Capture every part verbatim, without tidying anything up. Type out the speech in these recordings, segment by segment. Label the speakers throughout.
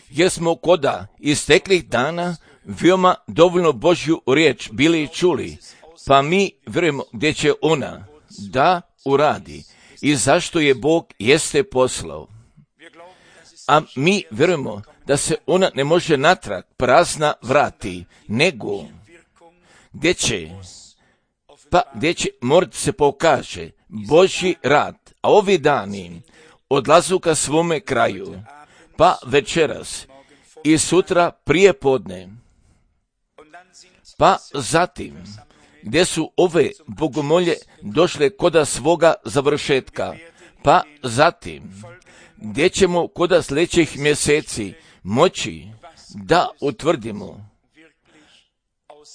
Speaker 1: jer smo koda isteklih dana veoma dovoljno Božju riječ bili čuli, pa mi vjerujemo gdje će ona da uradi i zašto je Bog jeste poslao. A mi vjerujemo da se ona ne može natrag prazna vrati, nego gdje će, pa gdje će morat se pokaže Božji rad, a ovi dani odlazu ka svome kraju, pa večeras i sutra prije podne, pa zatim gdje su ove bogomolje došle koda svoga završetka, pa zatim gdje ćemo koda sljedećih mjeseci moći da utvrdimo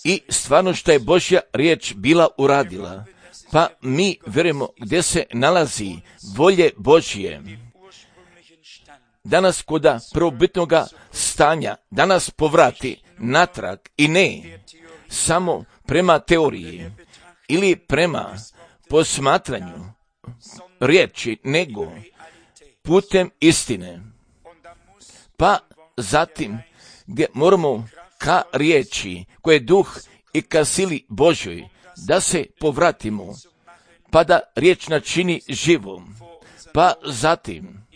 Speaker 1: i stvarno što je Božja riječ bila uradila, pa mi vjerujemo gdje se nalazi volje Božje. Danas koda prvobitnoga stanja, danas povrati natrag i ne samo prema teoriji ili prema posmatranju riječi, nego putem istine. Pa zatim gdje moramo ka riječi koje je duh i ka sili Božoj da se povratimo, pa da riječ načini živom, pa zatim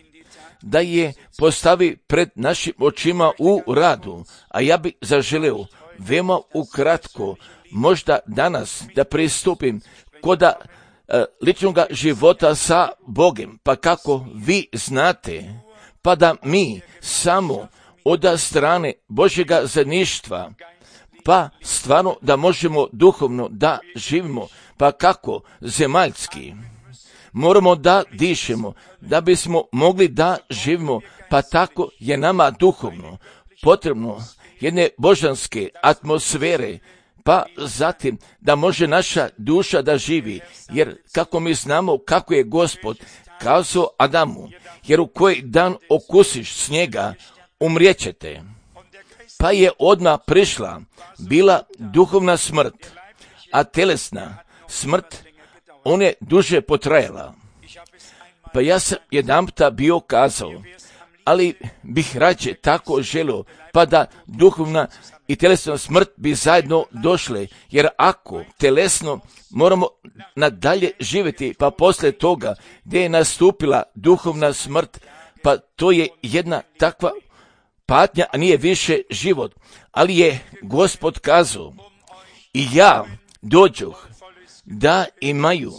Speaker 1: da je postavi pred našim očima u radu, a ja bi zaželeo veoma ukratko možda danas da pristupim koda e, ličnog života sa Bogom, pa kako vi znate, pa da mi samo od strane Božjega zajedništva, pa stvarno da možemo duhovno da živimo, pa kako zemaljski, moramo da dišemo, da bismo mogli da živimo, pa tako je nama duhovno potrebno jedne božanske atmosfere, pa zatim da može naša duša da živi, jer kako mi znamo kako je Gospod kazao Adamu, jer u koji dan okusiš snijega, umrijećete. Pa je odmah prišla bila duhovna smrt, a telesna smrt, ona je duže potrajala. Pa ja sam jedanputa bio kazao, ali bih rađe tako želio, pa da duhovna i telesna smrt bi zajedno došle, jer ako telesno moramo nadalje živjeti, pa poslije toga gdje je nastupila duhovna smrt, pa to je jedna takva patnja, a nije više život. Ali je Gospod kazao, i ja dođoh da imaju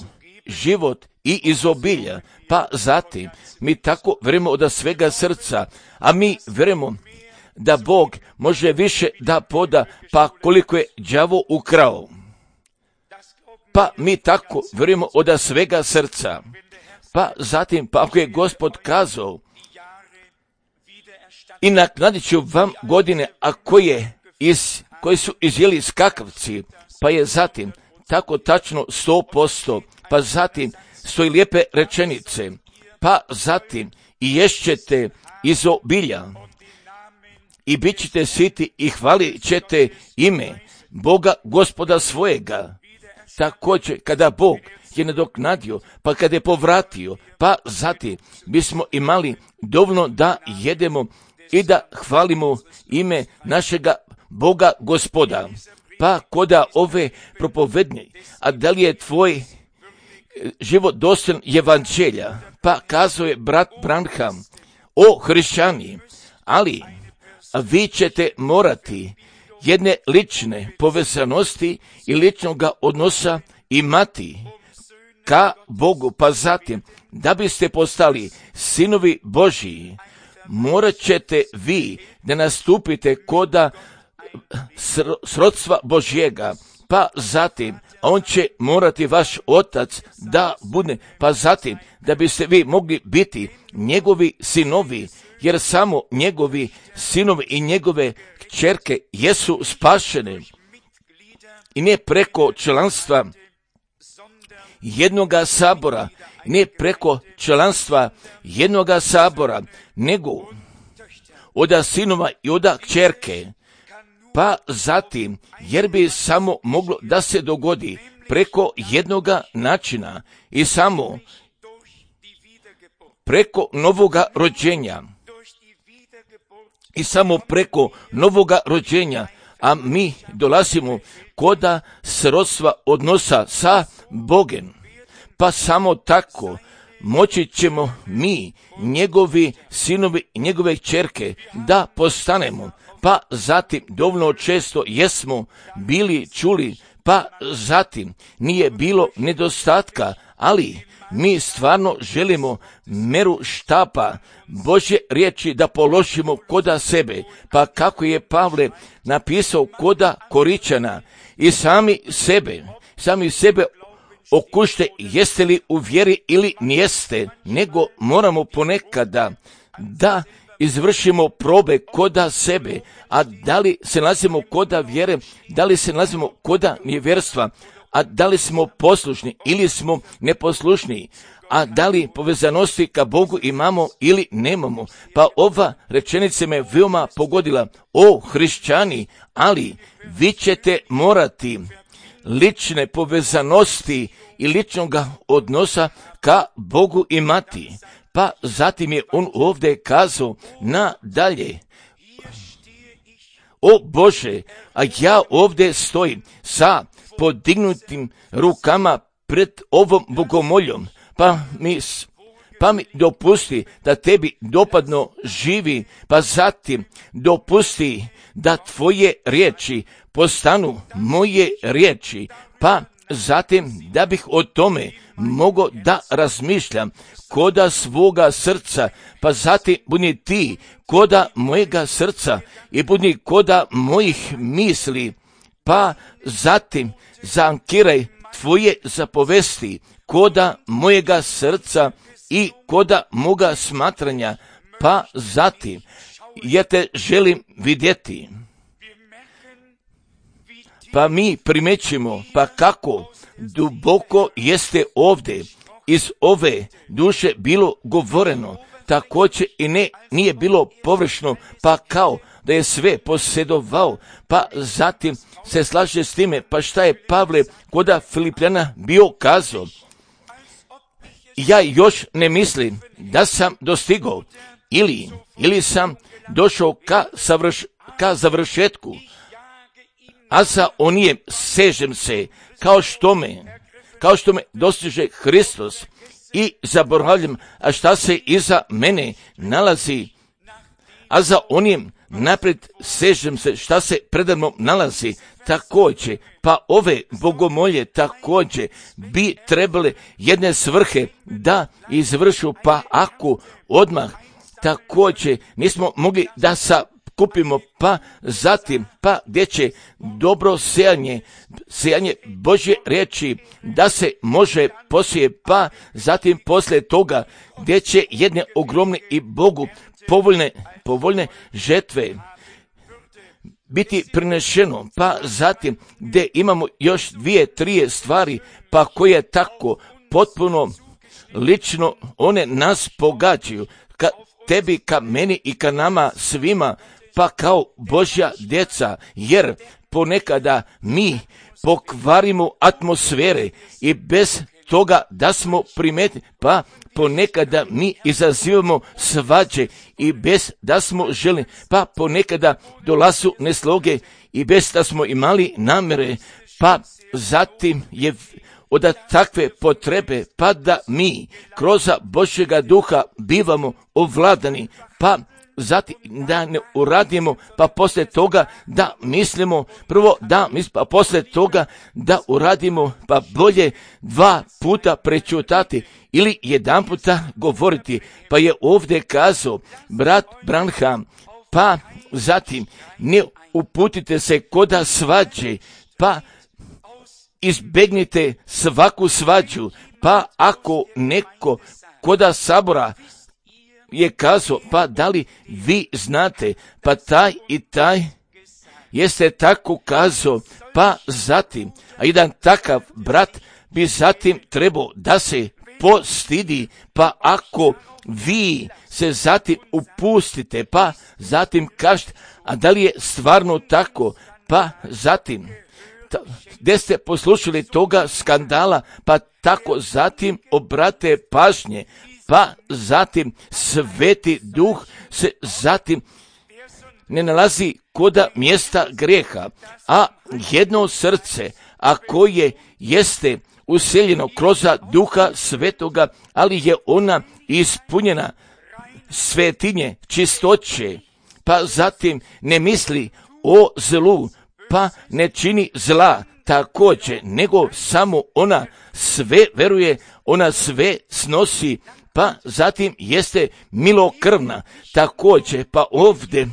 Speaker 1: život i izobilja, pa zatim mi tako vjerujemo od svega srca, a mi vjerujemo da Bog može više da poda, pa koliko je đavo ukrao. Pa mi tako vjerujemo od svega srca, pa zatim, pa ako je Gospod kazao, i naknadit ću vam godine, a koje, iz, koji su izjeli skakavci, pa je zatim tako tačno sto posto, pa zatim stoji lijepe rečenice, pa zatim i ješćete izobilja i bit ćete siti i hvalit ćete ime Boga Gospoda svojega. Također kada Bog je nadoknadio, pa kada je povratio, pa zatim bismo imali dovoljno da jedemo i da hvalimo ime našega Boga Gospoda. Pa koda ove propovednje, a da li je tvoj život dostojan evanđelja, pa kazao je brat Branham, o hrišćani, ali vi ćete morati jedne lične povezanosti i ličnog odnosa imati ka Bogu, pa zatim da biste postali sinovi Božiji, morat ćete vi da nastupite koda srodstva Božjega, pa zatim on će morati vaš otac da bude, pa zatim da biste vi mogli biti njegovi sinovi, jer samo njegovi sinovi i njegove kćerke jesu spašene i ne preko članstva jednoga sabora, ne preko članstva jednoga sabora, nego oda sinova i oda kćerke. Pa zatim, jer bi samo moglo da se dogodi preko jednoga načina i samo preko novoga rođenja. I samo preko novoga rođenja, a mi dolazimo koda srodstva odnosa sa Bogom. Pa samo tako moći ćemo mi, njegovi sinovi i njegove kćerke, da postanemo. Pa zatim dovoljno često jesmo bili čuli, pa zatim nije bilo nedostatka, ali mi stvarno želimo meru štapa Božje riječi da položimo koda sebe, pa kako je Pavle napisao koda Koričana, i sami sebe, sami sebe okušte jeste li u vjeri ili nijeste, nego moramo ponekada da izvršimo probe koda sebe, a da li se nalazimo koda vjere, da li se nalazimo koda nevjerstva, a da li smo poslušni ili smo neposlušni, a da li povezanosti ka Bogu imamo ili nemamo. Pa ova rečenica me veoma pogodila. O hrišćani, ali vi ćete morati lične povezanosti i ličnog odnosa ka Bogu imati. Pa zatim je on ovdje kazao nadalje. O Bože, a ja ovdje stojim sa podignutim rukama pred ovom bogomoljom, pa mi, pa mi dopusti da tebi dopadno živi, pa zatim dopusti da tvoje riječi postanu moje riječi, pa zatim da bih o tome mogao da razmišljam koda svoga srca, pa zatim budi ti koda mojega srca i budi koda mojih misli, pa zatim zaankiraj tvoje zapovesti koda mojega srca i koda moga smatranja, pa zatim ja te želim vidjeti. Pa mi primećimo, pa kako duboko jeste ovdje iz ove duše bilo govoreno, također i ne nije bilo površno, pa kao da je sve posjedovao, pa zatim se slaže s time, pa šta je Pavle koda Filipljana bio kazao? Ja još ne mislim da sam dostigao ili, ili sam došao ka, savrš, ka završetku, a za onijem sežem se kao što me, kao što me dostiže Hristos i zaboravljam, a šta se iza mene nalazi, a za onijem naprijed sežem se šta se predano nalazi. Također, pa ove bogomolje također bi trebale jedne svrhe da izvršu, pa ako odmah također nismo mogli da sa kupimo, pa zatim, pa gdje će dobro sejanje, sejanje Božje riječi da se može posije, pa zatim poslije toga gdje će jedne ogromne i Bogu povoljne, povoljne žetve biti prinešeno, pa zatim gdje imamo još dvije, trije stvari, pa koje tako potpuno lično one nas pogađaju, ka tebi, ka meni i ka nama svima, pa kao Božja djeca, jer ponekada mi pokvarimo atmosfere i bez toga da smo primetni, pa ponekada mi izazivamo svađe i bez da smo željeli, pa ponekada dolazu nesloge i bez da smo imali namjere, pa zatim je od takve potrebe, pa da mi kroz Božjega duha bivamo ovladani, pa zatim da ne uradimo, pa poslije toga da mislimo, prvo da mislimo, pa poslije toga da uradimo, pa bolje dva puta prečutati ili jedan puta govoriti. Pa je ovdje kazao brat Branham, pa zatim ne uputite se koda svađe, pa izbegnite svaku svađu, pa ako neko koda sabora je kazao, pa da li vi znate, pa taj i taj jeste tako kazao, pa zatim, a jedan takav brat bi zatim trebao da se postidi, pa ako vi se zatim upustite, pa zatim kažete, a da li je stvarno tako, pa zatim, gdje ste poslušali toga skandala, pa tako zatim obrate pažnje, pa zatim Sveti Duh se zatim ne nalazi koda mjesta grijeha, a jedno srce, a koje jeste useljeno kroz Duha Svetoga, ali je ona ispunjena svetinje, čistoće, pa zatim ne misli o zlu, pa ne čini zla također, nego samo ona sve veruje, ona sve snosi, pa zatim jeste milokrvna također, pa ovdje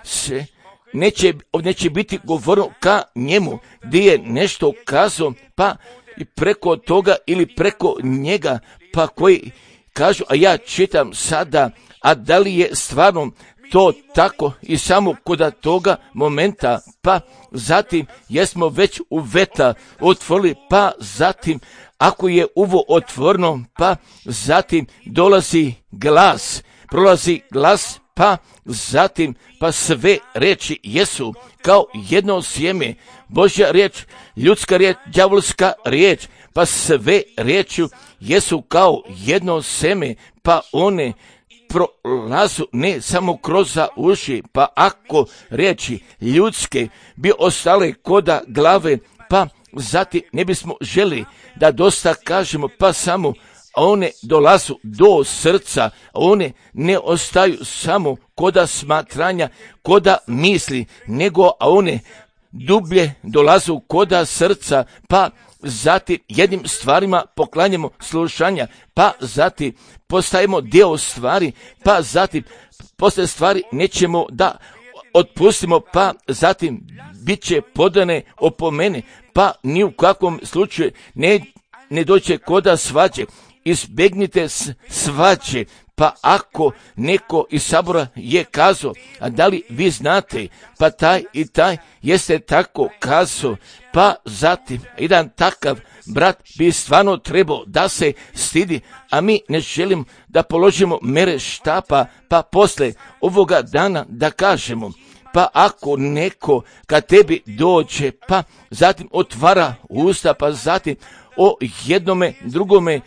Speaker 1: se neće, neće biti govorno ka njemu, gdje je nešto kazao, pa i preko toga ili preko njega, pa koji kažu, a ja čitam sada, a da li je stvarno to tako i samo kod toga momenta, pa zatim jesmo već u veta otvorili, pa zatim ako je uvo otvoreno, pa zatim dolazi glas, prolazi glas, pa zatim pa sve riječi jesu kao jedno sjeme, Božja riječ, ljudska riječ, đavolska riječ, pa sve riječi jesu kao jedno sjeme, pa one prolazu ne samo kroz uši, pa ako riječi ljudske bi ostale koda glave, pa zatim ne bismo želi da dosta kažemo, pa samo one dolazu do srca, one ne ostaju samo koda smatranja, koda misli, nego a one dublje dolazu koda srca, pa zatim jednim stvarima poklanjamo slušanja, pa zatim postajemo dio stvari, pa zatim posle stvari nećemo da otpustimo, pa zatim bit će podane opomene, pa ni u kakvom slučaju ne, ne doće koda svađe. Izbegnite svađe, pa ako neko iz sabora je kazao, a da li vi znate, pa taj i taj jeste tako kazao, pa zatim jedan takav brat bi stvarno trebao da se stidi, a mi ne želimo da položimo mere štapa, pa posle ovoga dana da kažemo, pa ako neko kad tebi dođe, pa zatim otvara usta, pa zatim o jednome drugome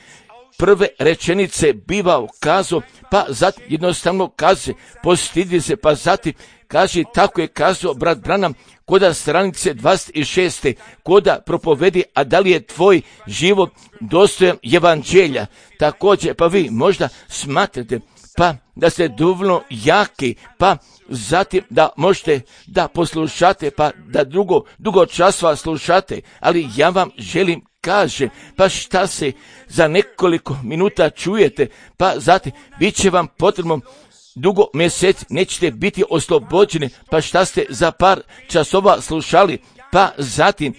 Speaker 1: prve rečenice biva kazao, pa zatim jednostavno kaže, postidi se, pa zatim kaže, tako je kazao brat Branham, koda stranice dvadeset šest. koda propovedi, a da li je tvoj život dostojan evanđelja. Također, pa vi možda smatrate, pa da ste dovoljno jaki, pa zatim da možete da poslušate, pa da drugo, dugo časova slušate, ali ja vam želim kaže, pa šta se za nekoliko minuta čujete, pa zatim bit će vam potrebno dugo mjeseci, nećete biti oslobođeni, pa šta ste za par časova slušali, pa zatim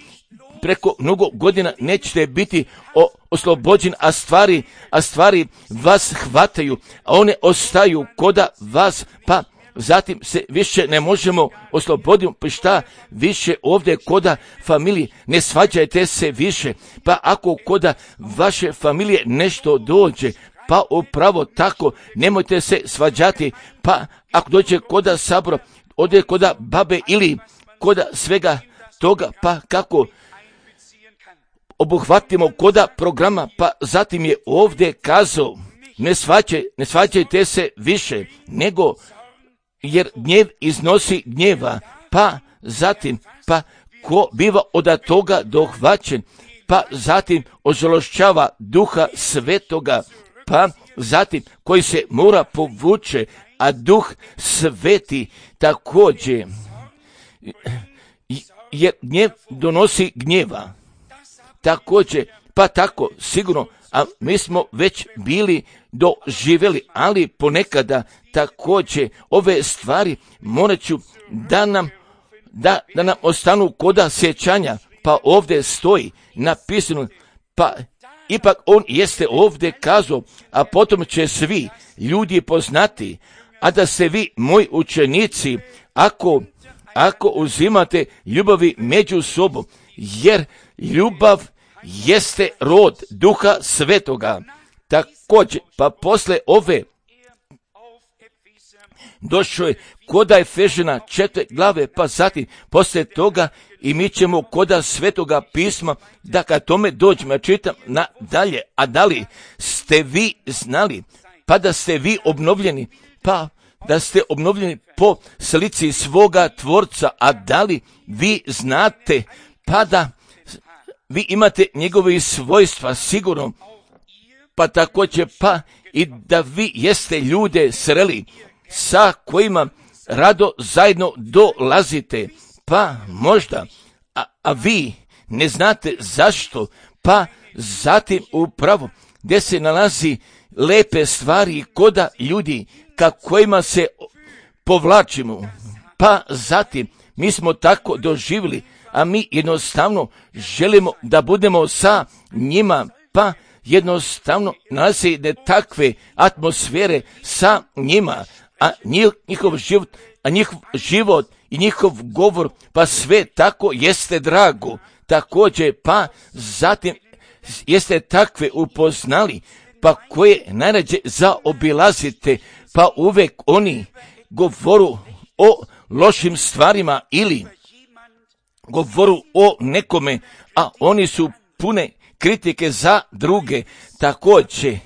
Speaker 1: preko mnogo godina nećete biti o, oslobođeni, a stvari, a stvari vas hvataju, a one ostaju koda vas, pa zatim se više ne možemo osloboditi, pa šta više ovdje koda familije, ne svađajte se više, pa ako koda vaše familije nešto dođe, pa upravo tako, nemojte se svađati, pa ako dođe koda sabora, ode koda babe ili koda svega toga, pa kako obuhvatimo koda programa, pa zatim je ovdje kazao, ne, svađaj, ne svađajte se više, nego jer gnjev iznosi gnjeva, pa zatim, pa ko biva od toga dohvaćen, pa zatim ožalošćava Duha Svetoga, pa zatim koji se mora povuče, a Duh Sveti također, jer gnjev donosi gnjeva, također, pa tako sigurno, a mi smo već bili doživjeli, ali ponekada također ove stvari morat ću da nam, da, da nam ostanu koda sjećanja, pa ovdje stoji napisano, pa ipak on jeste ovdje kazao, a potom će svi ljudi poznati, a da ste vi moji učenici, ako, ako uzimate ljubavi među sobom, jer ljubav jeste rod Duha Svetoga. Također, pa posle ove došao je koda Efežana četiri glave, pa zatim posle toga i mi ćemo koda Svetoga pisma, da kad tome dođemo, ja čitam nadalje, a da li ste vi znali pa da ste vi obnovljeni, pa da ste obnovljeni po slici svoga Tvorca, a da li vi znate, pa da vi imate njegove svojstva sigurno, pa također pa i da vi jeste ljude sreli sa kojima rado zajedno dolazite, pa možda, a, a vi ne znate zašto, pa zatim upravo gdje se nalazi lepe stvari koda ljudi ka kojima se povlačimo, pa zatim mi smo tako doživjeli, a mi jednostavno želimo da budemo sa njima, pa jednostavno nalazi jedne takve atmosfere sa njima, a njihov život, a njihov život i njihov govor, pa sve tako jeste drago. Također, pa zatim jeste takve upoznali, pa koje najrađe zaobilazite, pa uvek oni govoru o lošim stvarima ili govoru o nekome, a oni su pune kritike za druge. Također,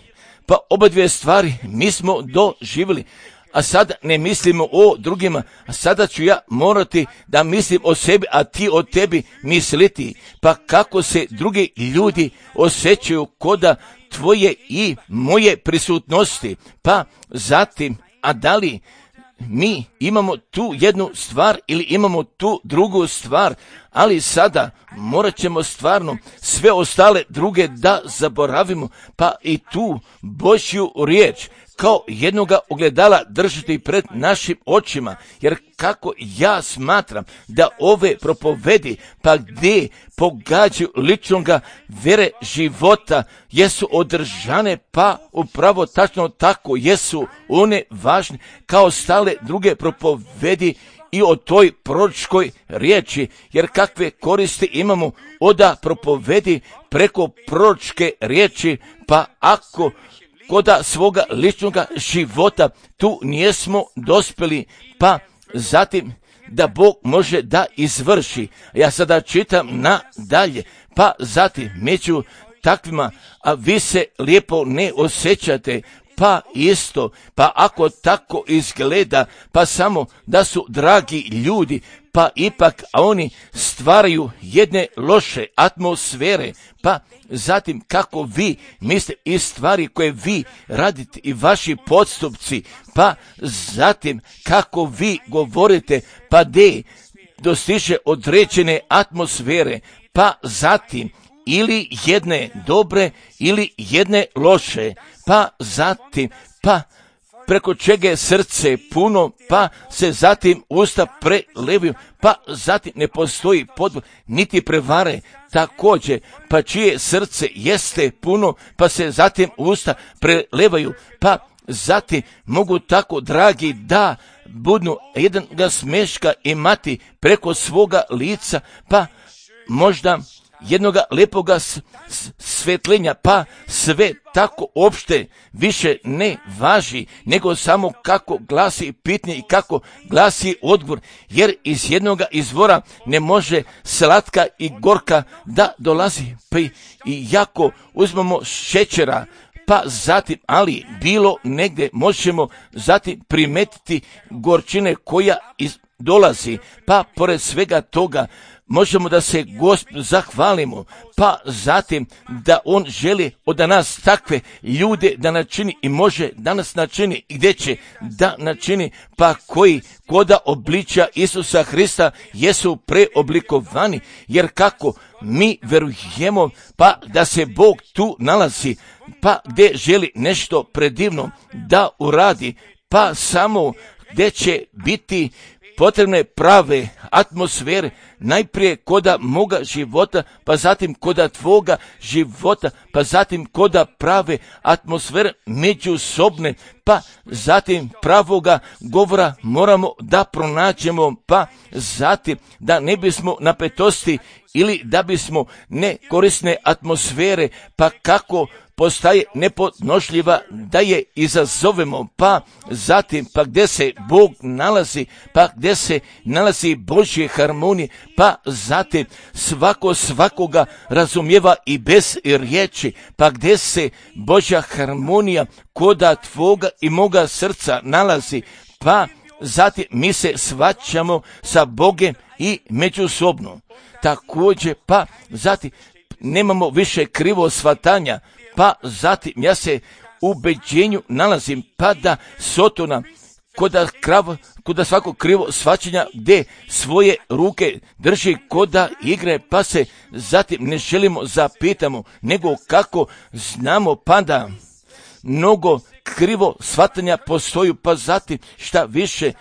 Speaker 1: pa oba dvije stvari mi smo doživjeli, a sada ne mislimo o drugima, a sada ću ja morati da mislim o sebi, a ti o tebi misliti. Pa kako se drugi ljudi osjećaju koda tvoje i moje prisutnosti, pa zatim, a da li mi imamo tu jednu stvar ili imamo tu drugu stvar, ali sada morat ćemo stvarno sve ostale druge da zaboravimo, pa i tu Božju riječ kao jednoga ogledala držati pred našim očima, jer kako ja smatram da ove propovedi, pa gdje pogađaju ličnoga vere života, jesu održane, pa upravo tačno tako jesu one važne kao stale druge propovedi i o toj proročkoj riječi, jer kakve koristi imamo oda propovedi preko proročke riječi, pa ako koda svoga ličnoga života tu nijesmo dospjeli, pa zatim da Bog može da izvrši. Ja sada čitam nadalje, pa zatim među takvima, a vi se lijepo ne osjećate, pa isto, pa ako tako izgleda, pa samo da su dragi ljudi, pa ipak a oni stvaraju jedne loše atmosfere, pa zatim kako vi mislite i stvari koje vi radite i vaši postupci, pa zatim kako vi govorite, pa de dostiže određene atmosfere, pa zatim ili jedne dobre ili jedne loše, pa zatim, pa preko čega je srce puno, pa se zatim usta prelevaju, pa zatim ne postoji podvod, niti prevare, također, pa čije srce jeste puno, pa se zatim usta prelevaju, pa zatim mogu tako, dragi, da budnu jedan ga smeška imati preko svoga lica, pa možda jednoga lepoga s- s- svetlenja, pa sve tako opšte više ne važi, nego samo kako glasi pitanje i kako glasi odgovor, jer iz jednoga izvora ne može slatka i gorka da dolazi, pa i i jako uzmemo šećera, pa zatim, ali bilo negdje možemo zatim primetiti gorčine koja iz, dolazi, pa pored svega toga možemo da se Gospodu zahvalimo, pa zatim da On želi od nas takve ljude da načini i može da nas načini i gdje će da načini, pa koji koda obličja Isusa Hrista jesu preoblikovani, jer kako mi verujemo pa da se Bog tu nalazi, pa gdje želi nešto predivno da uradi, pa samo gdje će biti potrebne prave atmosfere, najprije koda moga života, pa zatim koda tvoga života, pa zatim koda prave atmosfere međusobne, pa zatim pravoga govora moramo da pronađemo, pa zatim da ne bismo napetosti ili da bismo nekorisne atmosfere, pa kako postaje nepodnošljiva, da je izazovemo, pa zatim, pa gdje se Bog nalazi, pa gdje se nalazi Božje harmonije, pa zatim svako svakoga razumijeva i bez riječi, pa gdje se Božja harmonija koda tvoga i moga srca nalazi, pa zatim mi se svaćamo sa Bogem i međusobno. Također, pa zatim nemamo više krivo shvatanja, pa zatim ja se u ubeđenju nalazim, pa da Sotona koda, krav, koda svako krivo shvaćanja gdje svoje ruke drži koda igre, pa se zatim ne želimo zapitamo, nego kako znamo, pa da mnogo krivo shvatanja postoju, pa zatim šta više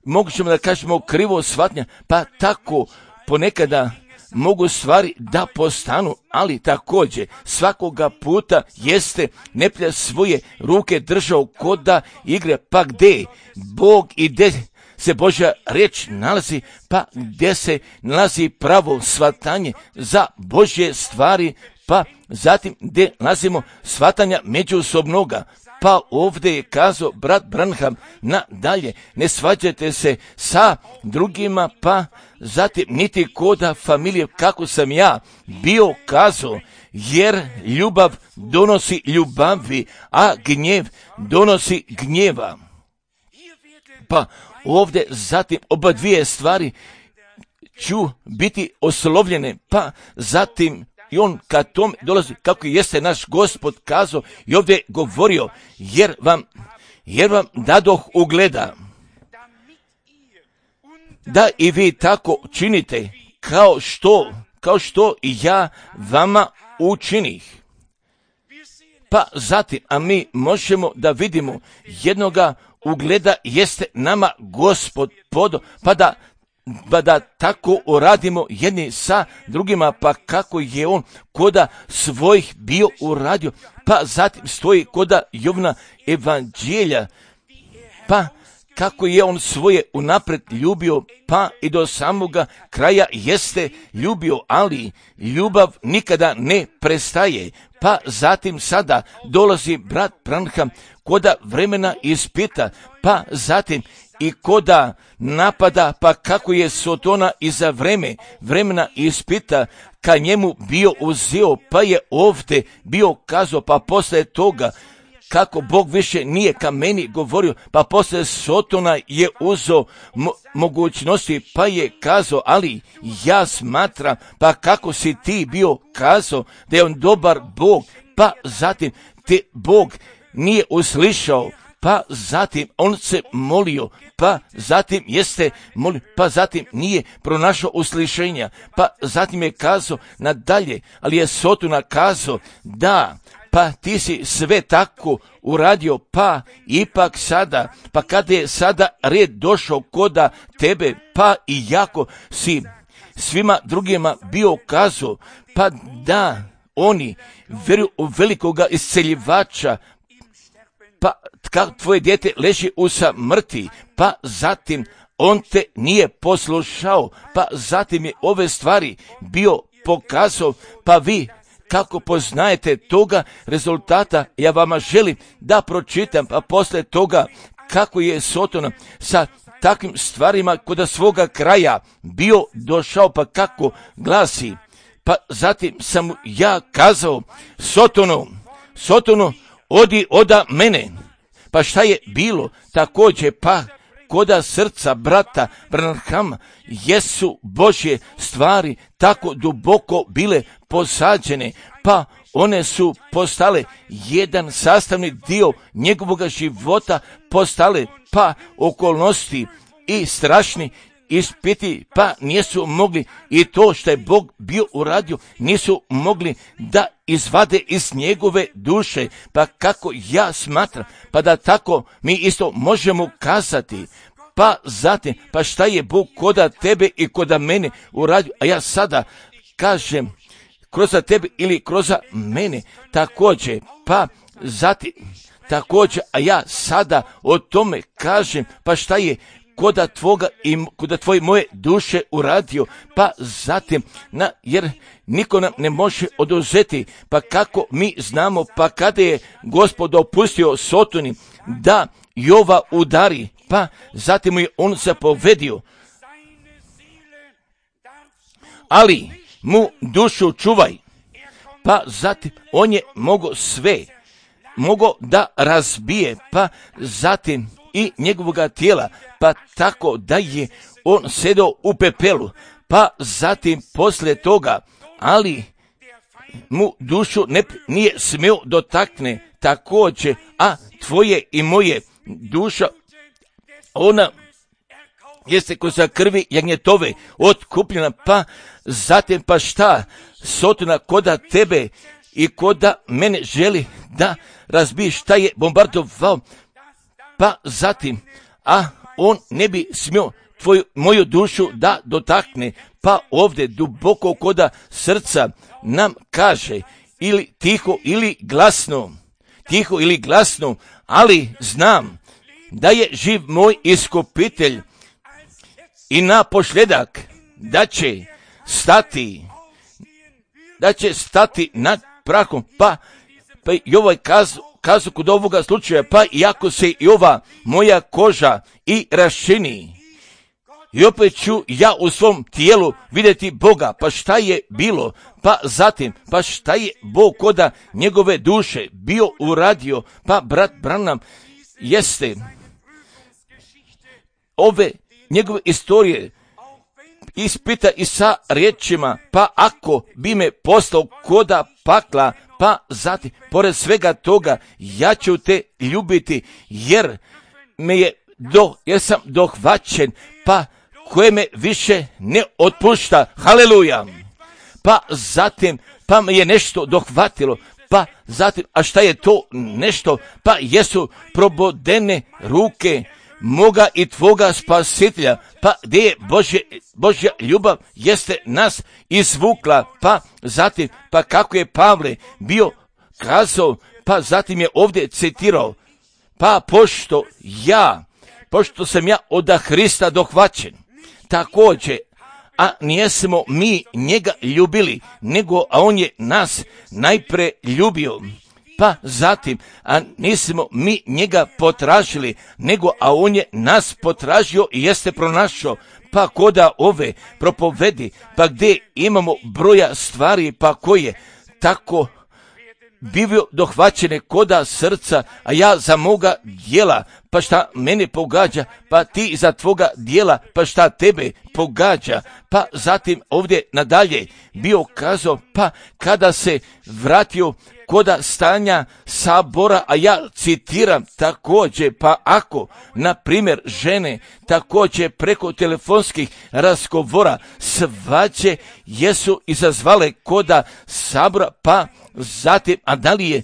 Speaker 1: mogućemo da kažemo krivo shvatanja, pa tako ponekada mogu stvari da postanu, ali također svakoga puta jeste neprijatelj svoje ruke držao koda igre, pa gdje Bog i gdje se Božja riječ nalazi, pa gdje se nalazi pravo shvatanje za Božje stvari, pa zatim gdje nalazimo shvatanja međusobnoga. Pa ovdje je kazao brat Branham nadalje, ne svađajte se sa drugima, pa zatim niti koda familije, kako sam ja bio kazao, jer ljubav donosi ljubavi, a gnjev donosi gnjeva. Pa ovdje zatim oba dvije stvari ću biti oslovljene, pa zatim i on kad tom dolazi, kako jeste naš Gospod kazao i ovdje govorio, jer vam, jer vam dadoh ugleda, da i vi tako činite, kao što, kao što i ja vama učinih. Pa zatim, a mi možemo da vidimo jednoga ugleda jeste nama Gospod podo, pa da pa da tako uradimo jedni sa drugima, pa kako je on koda svojih bio uradio, pa zatim stoji koda Jovna evanđelja, pa kako je on svoje unapred ljubio, pa i do samoga kraja jeste ljubio, ali ljubav nikada ne prestaje. Pa zatim sada dolazi brat Branham koda vremena ispita, pa zatim i koda napada, pa kako je Sotona iza vreme, vremena ispita ka njemu bio uzeo, pa je ovdje bio kazao, pa posle toga kako Bog više nije ka meni govorio, pa posle Sotona je uzeo mo- mogućnosti, pa je kazao, ali ja smatram, pa kako si ti bio kazao da je on dobar Bog, pa zatim te Bog nije uslišao, pa zatim on se molio, pa zatim jeste molio, pa zatim nije pronašao uslišenja, pa zatim je kazao nadalje, ali je Sotona kazao da, pa ti si sve tako uradio, pa ipak sada, pa kada je sada red došao koda tebe, pa i jako si svima drugima bio kazao, pa da oni vjeruju u velikoga isceljivača, pa kako tvoje dijete leži u samrti, pa zatim on te nije poslušao, pa zatim je ove stvari bio pokazao, pa vi kako poznajete toga rezultata, ja vama želim da pročitam, pa posle toga kako je Sotona sa takvim stvarima kod svoga kraja bio došao, pa kako glasi, pa zatim sam ja kazao Sotonu, Sotonu, odi oda mene. Pa šta je bilo također, pa koda srca brata Branhama jesu Božje stvari tako duboko bile posađene, pa one su postale jedan sastavni dio njegovog života, postale pa okolnosti i strašni ispiti, pa nisu mogli i to što je Bog bio uradio, nisu mogli da izvade iz njegove duše, pa kako ja smatram, pa da tako mi isto možemo kazati, pa zatim, pa šta je Bog koda tebe i koda mene uradio, a ja sada kažem kroz tebe ili kroz mene, također, pa zatim, također, a ja sada o tome kažem, pa šta je koda tvoga i koda tvoje moje duše uradio, pa zatim, na, jer niko nam ne može oduzeti, pa kako mi znamo, pa kada je Gospod dopustio Sotoni da Jova udari, pa zatim mu je on zapovedio, ali mu dušu čuvaj, pa zatim on je mogao sve, mogao da razbije, pa zatim i njegovoga tijela, pa tako da je on sedao u pepelu, pa zatim poslije toga, ali mu dušu ne, nije smio dotakne također, a tvoje i moje duša, ona jeste ko za krvi jagnjetove otkupljena, pa zatim pa šta, Sotona koda tebe i koda mene želi da razbije, šta je bombardovao, pa zatim, a on ne bi smio tvoju, moju dušu da dotakne, pa ovdje duboko koda srca nam kaže, ili tiho ili glasno, tiho ili glasno, ali znam da je živ moj iskupitelj i na posljedak da će stati, da će stati nad prahom, pa, pa i ovaj kazu, kazu kod ovoga slučaja, pa iako se i ova moja koža i raščini, i opet ću ja u svom tijelu vidjeti Boga, pa šta je bilo, pa zatim, pa šta je Bog koda njegove duše bio uradio, pa brat Branham jeste ove njegove istorije ispita i sa riječima, pa ako bi me poslao koda pakla, pa zatim, pored svega toga, ja ću te ljubiti, jer me je do, jer sam dohvaćen, pa koje me više ne otpušta, haleluja, pa zatim, pa me je nešto dohvatilo, pa zatim, a šta je to nešto, pa jesu probodene ruke moga i tvoga spasitelja, pa gdje je Božje, Božja ljubav jeste nas izvukla, pa zatim, pa kako je Pavle bio kazao, pa zatim je ovdje citirao, pa pošto ja, pošto sam ja od Hrista dohvaćen, također, a nijesmo mi njega ljubili, nego a on je nas najpre ljubio. Pa zatim, a nismo mi njega potražili, nego a on je nas potražio i jeste pronašao. Pa koda ove propovedi, pa gdje imamo broja stvari, pa koje tako bivio dohvaćene koda srca, a ja za moga dijela, pa šta mene pogađa, pa ti za tvoga dijela, pa šta tebe pogađa. Pa zatim ovdje nadalje bio kazao, pa kada se vratio koda stanja sabora, a ja citiram također, pa ako, na primjer, žene također preko telefonskih razgovora svađe jesu izazvale koda sabora, pa zatim, a da li je,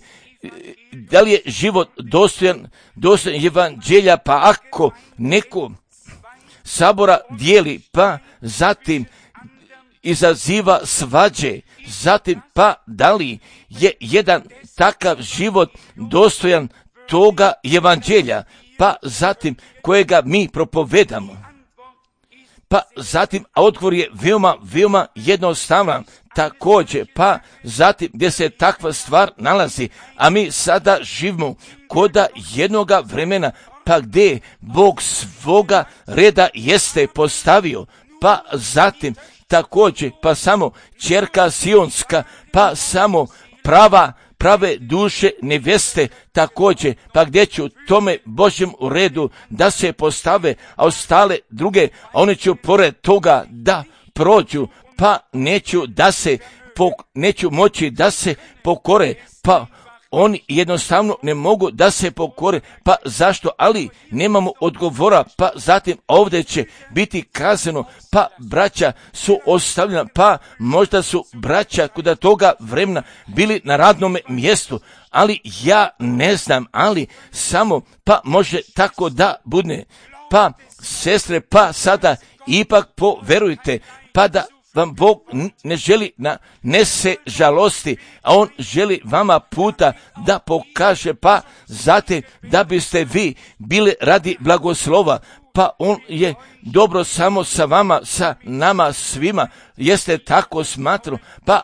Speaker 1: da li je život dostojan, dostojan evanđelja, pa ako neko sabora dijeli, pa zatim izaziva svađe, zatim pa da li je jedan takav život dostojan toga evanđelja, pa zatim kojega mi propovedamo. Pa zatim, a odgovor je veoma, veoma jednostavan, također, pa zatim gdje se takva stvar nalazi, a mi sada živimo koda jednoga vremena, pa gdje Bog svoga reda jeste postavio, pa zatim također, pa samo ćerka Sionska, pa samo prava, prave duše neveste također, pa gdje ću tome Božjem redu da se postave, a ostale druge, a one ću pored toga da prođu, pa neću da se, po, neću moći da se pokore, pa oni jednostavno ne mogu da se pokore, pa zašto, ali nemamo odgovora, pa zatim ovdje će biti kazano, pa braća su ostavljena, pa možda su braća kod toga vremena bili na radnom mjestu, ali ja ne znam, ali samo, pa može tako da bude, pa sestre, pa sada ipak poverujte, pa da vam Bog ne želi na nese žalosti, a On želi vama puta da pokaže, pa zatim da biste vi bili radi blagoslova, pa On je dobro samo sa vama, sa nama svima, jeste tako smatrao, pa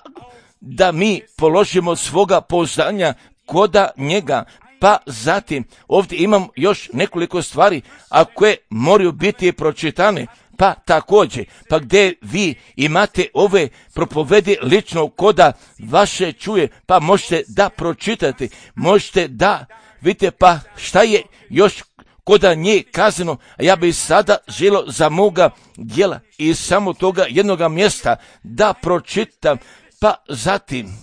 Speaker 1: da mi položimo svoga pouzdanja koda njega. Pa zatim ovdje imam još nekoliko stvari, a koje moraju biti pročitane, pa također, pa gdje vi imate ove propovedi lično koda vaše čuje, pa možete da pročitate, možete da vidite pa šta je još koda nje kazano, a ja bih sada želio za moga djela i samo toga jednoga mjesta da pročitam, pa zatim,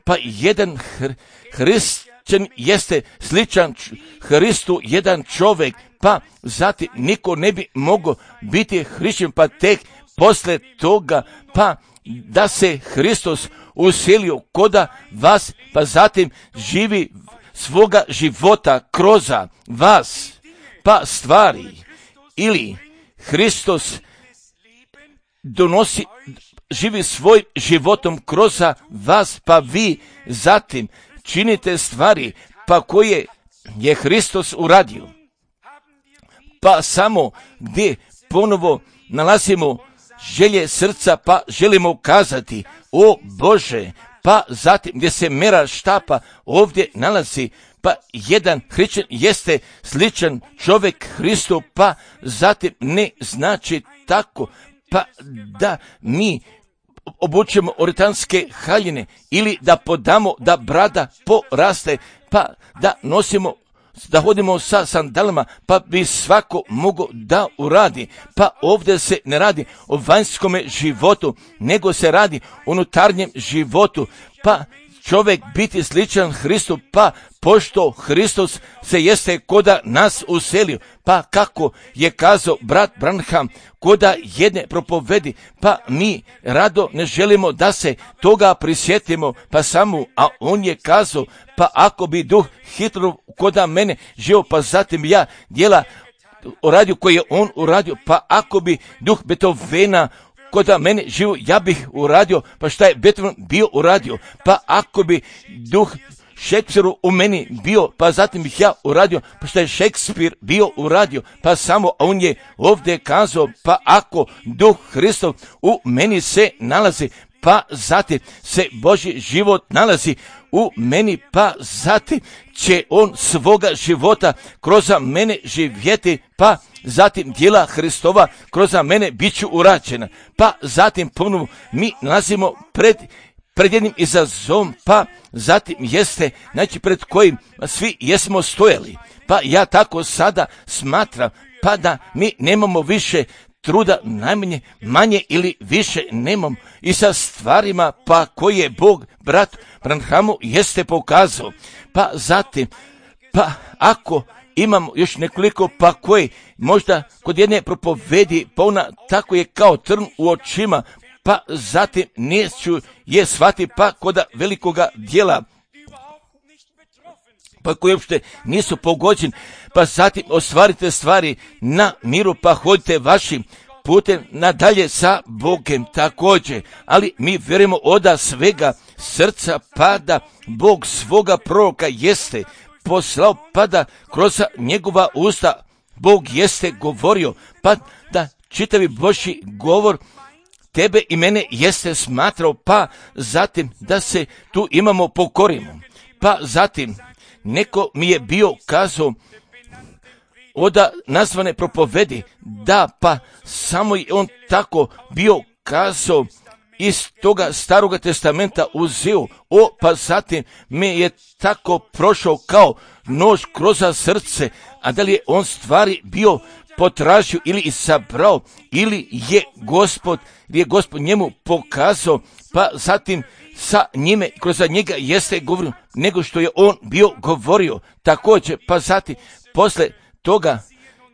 Speaker 1: pa jedan hr- Hrist jeste sličan Hristu jedan čovjek, pa zatim niko ne bi mogao biti hrišćan, pa tek posle toga, pa da se Hristos uselio koda vas, pa zatim živi svoga života kroz vas, pa stvari, ili Hristos donosi, živi svoj životom kroz vas, pa vi zatim činite stvari, pa koje je Hristos uradio. Pa samo gdje ponovo nalazimo želje srca, pa želimo kazati, o Bože, pa zatim gdje se mera štapa ovdje nalazi, pa jedan hrišćan jeste sličan čovjek Hristu, pa zatim ne znači tako, pa da mi obučemo oritanske haljine ili da podamo da brada poraste, pa da nosimo, da hodimo sa sandalama, pa bi svako mogao da uradi. Pa ovdje se ne radi o vanjskome životu, nego se radi o unutarnjem životu, pa čovjek biti sličan Hristu, pa pošto Hristos se jeste koda nas uselio, pa kako je kazao brat Branham koda jedne propovedi, pa mi rado ne želimo da se toga prisjetimo, pa samo, a on je kazao, pa ako bi duh Hitlerov koda mene živio, pa zatim ja djela uradio koji je on uradio, pa ako bi duh Beethovena koda mene živo, ja bih uradio, pa šta je Beethoven bio uradio, pa ako bi duh Šekspiru u meni bio, pa zatim bih ja uradio, pa šta je Šekspir bio uradio, pa samo on je ovdje kazao, pa ako duh Hristov u meni se nalazi, pa zatim se Božji život nalazi u meni, pa zatim će on svoga života kroz mene živjeti, pa zatim djela Hristova kroz mene bit ću urađena. Pa zatim ponovo mi nalazimo pred, pred jednim izazovom, pa zatim jeste, znači pred kojim svi jesmo stojali. Pa ja tako sada smatram, pa da mi nemamo više truda, najmanje, manje ili više nemam i sa stvarima pa koje Bog brat Branhamu jeste pokazao. Pa zatim, pa ako imamo još nekoliko pa koji možda kod jedne propovedi, pa ona tako je kao trn u očima, pa zatim neću je shvati pa koda velikoga dijela, pa koji uopšte nisu pogođeni, pa zatim ostvarite stvari na miru, pa hodite vašim putem nadalje sa Bogem također. Ali mi vjerujemo oda svega srca, pa da Bog svoga proroka jeste poslao, pa da kroz njegova usta Bog jeste govorio, pa da čitavi Božji govor tebe i mene jeste smatrao, pa zatim da se tu imamo pokorimo. Pa zatim neko mi je bio kazao oda nazvane propovedi, da pa samo je on tako bio kazao iz toga staroga testamenta uzeo, o pa zatim me je tako prošao kao nož kroz srce, a da li je on stvari bio potražio ili isabrao, ili je gospod, ili je gospod njemu pokazao, pa zatim sa njime, kroz njega jeste govorio, nego što je on bio govorio. Također, pa zatim, posle toga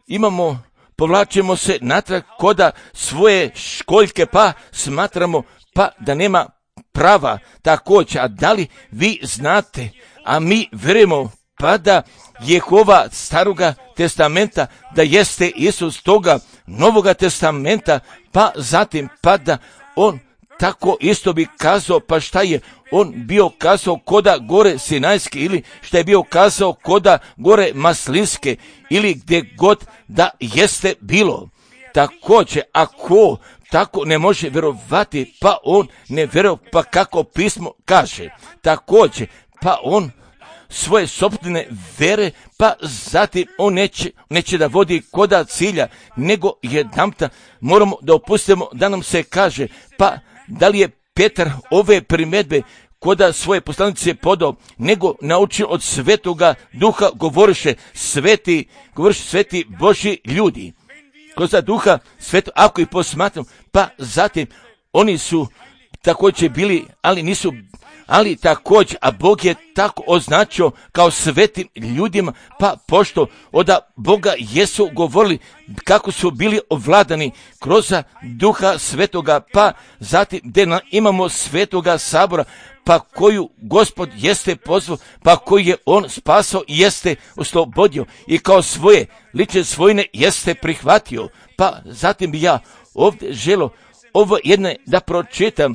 Speaker 1: imamo, povlačimo se natrag koda svoje školjke, pa smatramo, pa da nema prava također. A da li vi znate, a mi vjerujemo, pa da Jehova staroga testamenta, da jeste Isus toga novoga testamenta, pa zatim, pa da on tako isto bi kazao, pa šta je on bio kazao koda gore Sinajske, ili šta je bio kazao koda gore Maslinske, ili gdje god da jeste bilo. Također, ako tako ne može vjerovati, pa on ne vjeruje, pa kako pismo kaže. Također, pa on svoje sopstvene vere, pa zatim on neće, neće da vodi koda cilja, nego jedanputa moramo da opustimo da nam se kaže, pa da li je Petar ove primjedbe koda svoje poslanice podao, nego naučio od Svetoga Duha govoriše sveti, govoriše sveti Božji ljudi. Kroz Duha Sveto, ako ih posmatramo, pa zatim oni su također bili, ali nisu, ali također, a Bog je tako označio kao svetim ljudima, pa pošto od Boga jesu govorili kako su bili ovladani kroz Duha Svetoga, pa zatim gdje imamo Svetoga Sabora, pa koju Gospod jeste pozvao, pa koji je on spasao i jeste oslobodio i kao svoje lične svojine jeste prihvatio. Pa zatim bi ja ovdje želo ovo jedne da pročitam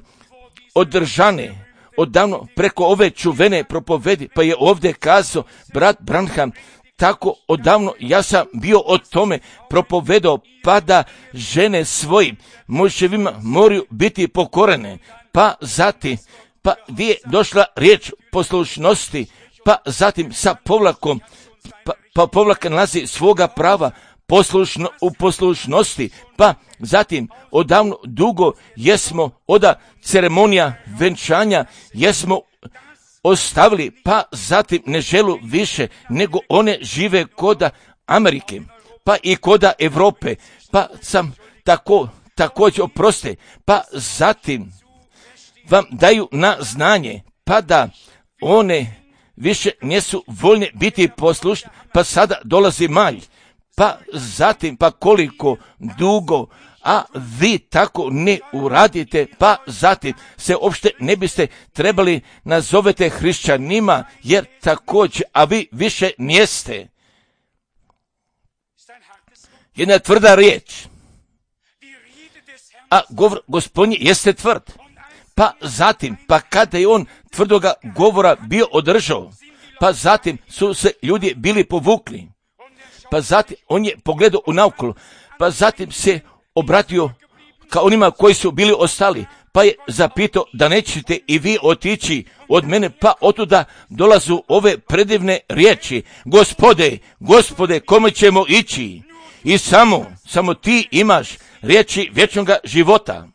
Speaker 1: održane odavno preko ove čuvene propovedi, pa je ovdje kazao brat Branham, tako odavno ja sam bio o tome propovedao, pa da žene svojim muževima moraju biti pokorene, pa zatim, pa gdje je došla riječ poslušnosti, pa zatim sa povlakom, pa, pa povlaka nalazi svoga prava, poslušno, u poslušnosti, pa zatim odavno dugo jesmo oda ceremonija venčanja jesmo ostavili, pa zatim ne želu više, nego one žive koda Amerike, pa i koda Europe, pa sam tako, također oproste, pa zatim vam daju na znanje, pa da one više nisu voljne biti poslušne, pa sada dolazi malj, pa zatim, pa koliko dugo, a vi tako ne uradite, pa zatim se uopšte ne biste trebali nazovete hrišćanima, jer također, a vi više nijeste. Jedna tvrda riječ, a govor Gospodnji jeste tvrd. Pa zatim, pa kada je on tvrdoga govora bio održao, pa zatim su se ljudi bili povukli, pa zatim on je pogledao u naokolo, pa zatim se obratio ka onima koji su bili ostali, pa je zapitao da nećete i vi otići od mene, pa otuda dolazu ove predivne riječi, Gospode, Gospode, kome ćemo ići? I samo, samo ti imaš riječi vječnoga života.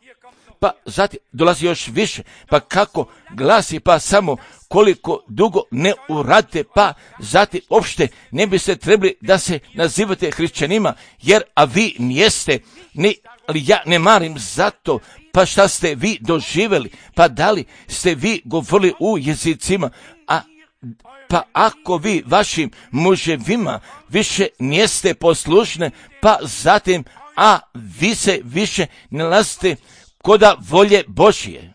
Speaker 1: Pa zatim dolazi još više, pa kako glasi, pa samo koliko dugo ne uradite, pa zatim uopšte ne biste trebali da se nazivate hrišćanima, jer a vi nijeste, ni, ali ja ne marim zato, pa šta ste vi doživjeli, pa da li ste vi govorili u jezicima, a pa ako vi vašim muževima više nijeste poslušne, pa zatim, a vi se više ne nalazite koda volje Božje.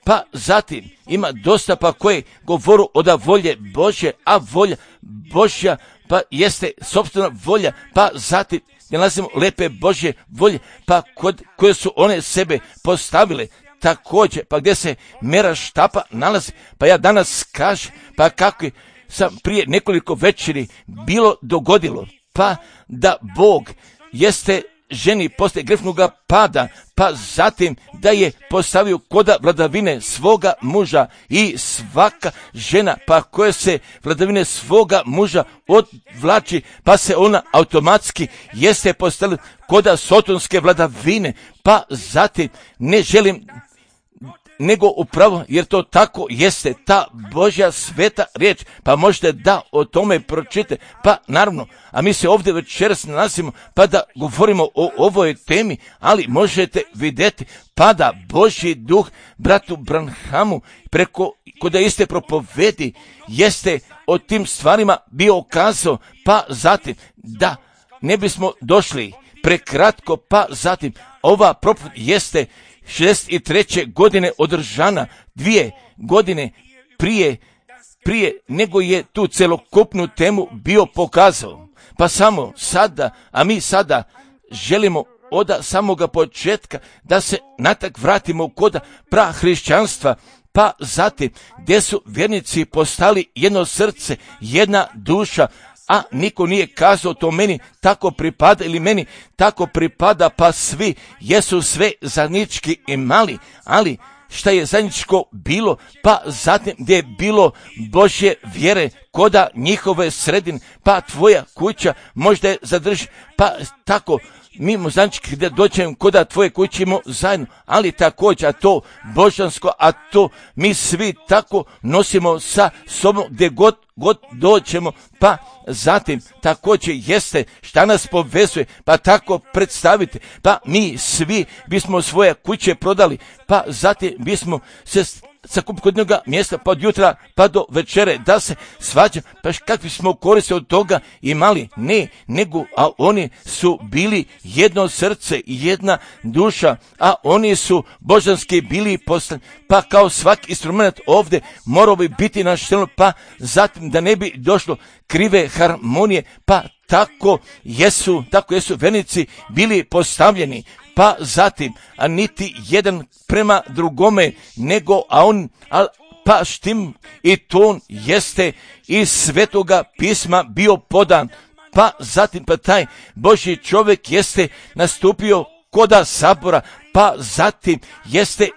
Speaker 1: Pa zatim ima dosta pa koje govoru oda volje Božje, a volja Božja pa jeste sopstvena volja, pa zatim ne nalazimo lepe Božje volje, pa kod koje su one sebe postavile također, pa gdje se mera štapa nalazi, pa ja danas kažem, pa kako sam prije nekoliko večeri bilo dogodilo, pa da Bog jeste ženi posle grešnoga pada, pa zatim da je postavio koda vladavine svoga muža i svaka žena, pa koja se vladavine svoga muža odvlači, pa se ona automatski jeste postavila koda sotonske vladavine, pa zatim ne želim nego upravo, jer to tako jeste, ta Božja sveta riječ, pa možete da o tome pročite, pa naravno, a mi se ovdje večeras nalazimo, pa da govorimo o ovoj temi, ali možete vidjeti, pa da Božji duh bratu Branhamu preko koda iste propovedi jeste o tim stvarima bio kazao, pa zatim da ne bismo došli prekratko, pa zatim ova propoved jeste šezdeset treće godine održana, dvije godine prije, prije nego je tu celokupnu temu bio pokazao. Pa samo sada, a mi sada želimo od samoga početka, da se natak vratimo kod prahrišćanstva, pa zatim gdje su vjernici postali jedno srce, jedna duša, a niko nije kazao to meni tako pripada ili meni tako pripada, pa svi jesu sve zajednički imali, ali šta je zajedničko bilo, pa zatim gdje je bilo Božje vjere koda njihove sredine, pa tvoja kuća možda je zadrži, pa tako mimo zajednički gdje dođemo koda tvoje kuće imamo zajedno, ali također a to božansko, a to mi svi tako nosimo sa sobom gdje god, god dođemo, pa zatim također jeste šta nas povezuje, pa tako predstavite, pa mi svi bismo svoje kuće prodali, pa zatim bismo se sakupili kod njega mjesta pa od jutra pa do večere da se svađa, pa kakvi smo koriste od toga imali, ne, nego, a oni su bili jedno srce i jedna duša, a oni su božanski bili poslani, pa kao svaki instrument ovdje morao bi biti naštelno, pa zatim da ne bi došlo krive harmonije, pa tako jesu, tako jesu vernici bili postavljeni, pa zatim, a niti jedan prema drugome, nego, a on, a, pa štim i ton jeste iz Svetoga pisma bio podan, pa zatim, pa taj Božji čovjek jeste nastupio koda sabora, pa zatim jeste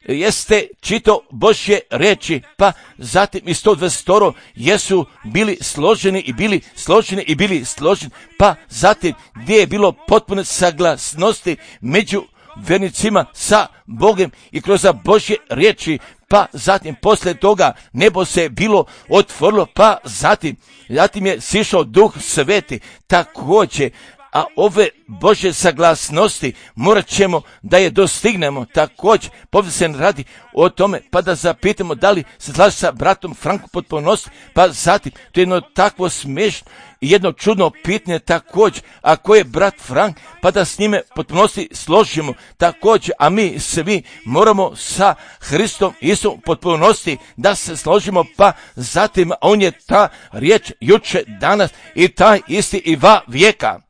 Speaker 1: jeste čito Božje reči, pa zatim i sto dvadeset jesu bili složeni i bili složeni i bili složeni, pa zatim gdje je bilo potpune saglasnosti među vernicima sa Bogom i kroz Božje riječi, pa zatim poslije toga nebo se bilo otvorilo, pa zatim, zatim je sišao Duh Sveti također, a ove Božje saglasnosti morat ćemo da je dostignemo. Također, povdje se radi o tome, pa da zapitamo da li se slaže sa bratom Frankom potpunosti, pa zatim, to je jedno takvo smiješno i jedno čudno pitanje također, a ko je brat Frank, pa da s njime potpunosti složimo također, a mi svi moramo sa Hristom Isusom potpunosti da se složimo, pa zatim on je ta riječ juče, danas i taj isti i va vijeka.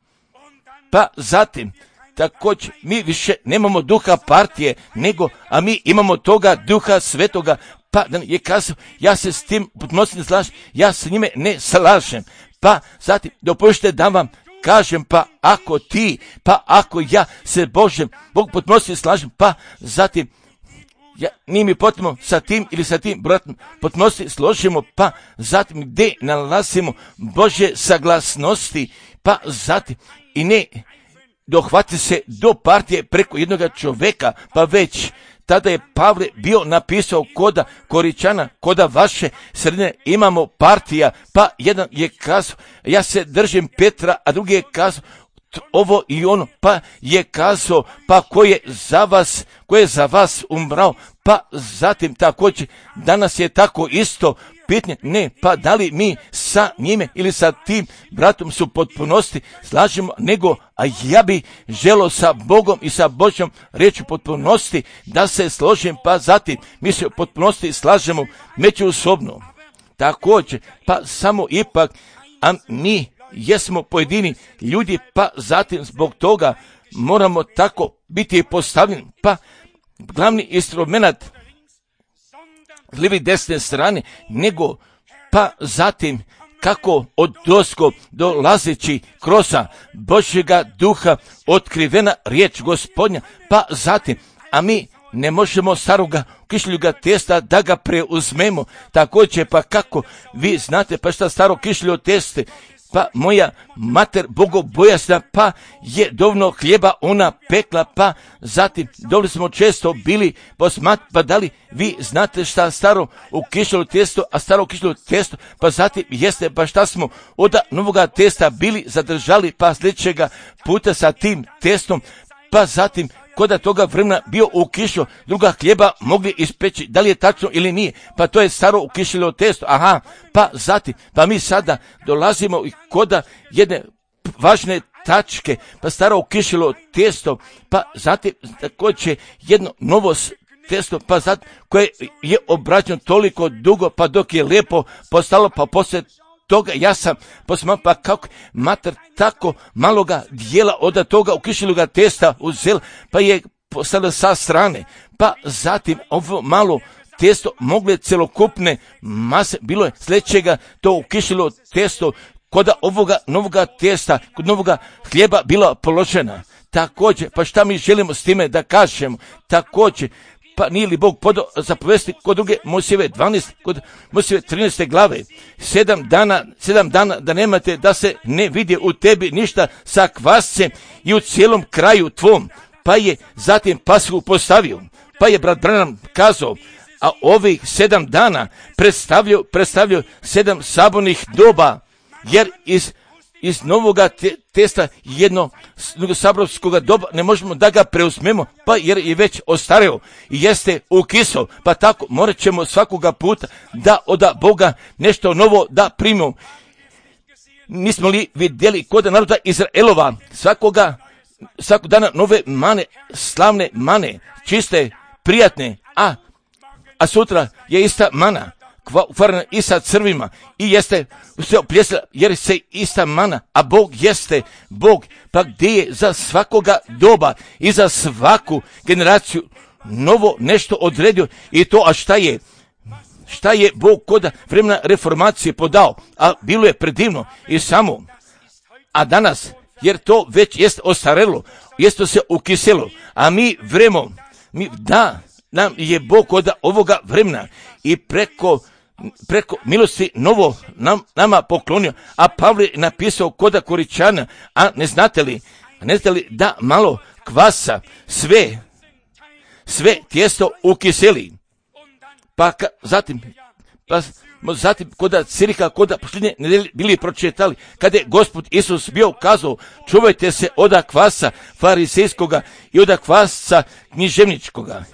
Speaker 1: Pa zatim, također, mi više nemamo duha partije, nego, a mi imamo toga Duha Svetoga, pa da je kazao, ja se s tim potpunosti ne slažem, ja se njime ne slažem. Pa zatim, dopustite da vam kažem, pa ako ti, pa ako ja se Božem, Bog potpunosti slažem, pa zatim, ja, nije mi potrebno sa tim ili sa tim bratom potpunosti složimo, pa zatim gdje nalazimo Božje saglasnosti, pa zatim, i ne dohvati se do partije preko jednog čovjeka, pa već tada je Pavle bio napisao koda Koričana, koda vaše sredine imamo partija, pa jedan je kazao, ja se držim Petra, a drugi je kazao, ovo i ono, pa je kazao, pa ko je za vas, ko je za vas umrao, pa zatim također, danas je tako isto pitanje, ne, pa da li mi sa njime ili sa tim bratom su potpunosti slažemo, nego, a ja bi želio sa Bogom i sa Božjom reći potpunosti da se složim, pa zatim mi se potpunosti slažemo međusobno. Također, pa samo ipak, a mi jesmo pojedini ljudi, pa zatim zbog toga moramo tako biti postavljeni, pa glavni instrument lijevi desne strane, nego pa zatim kako od dosko dolazeći kroz Božjega duha otkrivena riječ Gospodnja, pa zatim, a mi ne možemo staroga kišljuga testa da ga preuzmemo, također pa kako vi znate, pa šta staro kišljo teste, pa moja mater bogobojasna, pa je dovoljno hljeba ona pekla, pa zatim dovoljno smo često bili posmat, pa da li vi znate šta staro u kišlju testo, a staro kišlju testo, pa zatim jeste, pa šta smo od novoga testa bili zadržali, pa sljedećega puta sa tim testom, pa zatim koda toga vremena bio u kišu, druga hljeba mogli ispeći, da li je tačno ili nije, pa to je staro ukišljeno testo, aha, pa zatim, pa mi sada dolazimo i koda jedne važne tačke, pa staro ukišljeno testo, pa zatim također jedno novo testo, pa zatim koje je obrađeno toliko dugo, pa dok je lijepo postalo, pa poslije toga ja sam posmatrao, pa kako mater tako maloga dijela od toga ukišeloga testa uzela, pa je postala sa strane, pa zatim ovo malo testo mogle celokupne mase, bilo je sljedećega to ukišilo testo kod ovoga novoga testa, kod novoga hljeba bila položena. Također, pa šta mi želimo s time da kažemo? Također, pa nije li Bog podao zapovesti kod druge Mojsijeve dvanaeste, kod Mojsijeve trinaeste glave, sedam dana, sedam dana da nemate da se ne vidje u tebi ništa sa kvascem i u cijelom kraju tvom, pa je zatim Pashu postavio, pa je brat Branham kazao, a ovih sedam dana predstavljaju, predstavljaju sedam sabornih doba, jer iz iz novoga te, testa jedno saborskog doba ne možemo da ga preuzmemo, pa jer je već ostareo i jeste ukisao, pa tako morat ćemo svakoga puta da od Boga nešto novo da primimo. Nismo li vidjeli kod naroda Izraelova svakoga, svakog dana nove mane, slavne mane, čiste, prijatne, a, a sutra je ista mana, kvarna i sa crvima i jeste sve opljesla jer se ista mana, a Bog jeste Bog, pa gdje je za svakoga doba i za svaku generaciju novo nešto odredio i to, a šta je? Šta je Bog kod vremena reformacije podao? A bilo je predivno i samo, a danas, jer to već jest ostarelo, jest to se ukiselo, a mi vremo, mi, da, nam je Bog kod ovoga vremena i preko preko milosti novo nam, nama poklonio, a Pavle je napisao koda Koričana, a ne znate li, ne znate li da malo kvasa sve, sve tijesto ukiseli, pa ka, zatim, pa zatim koda Cirika, koda posljednje nedelje bili pročitali, kada je Gospod Isus bio kazao, čuvajte se oda kvasa farisejskoga i oda kvasa književničkoga.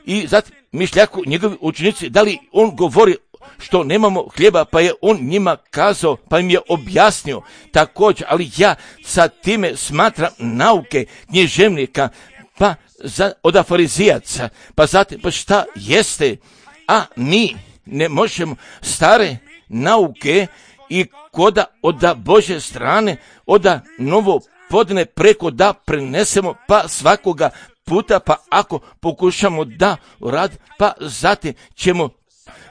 Speaker 1: I zatim mišljaku njegovi učenici, da li on govori što nemamo hljeba, pa je on njima kazao, pa im je objasnio također, ali ja sa time smatram nauke književnika, pa za, od farizijaca, pa zatim, pa šta jeste, a mi ne možemo stare nauke i koda od Božje strane, od novo podne preko da prenesemo, pa svakoga puta, pa ako pokušamo da rad, pa zatim ćemo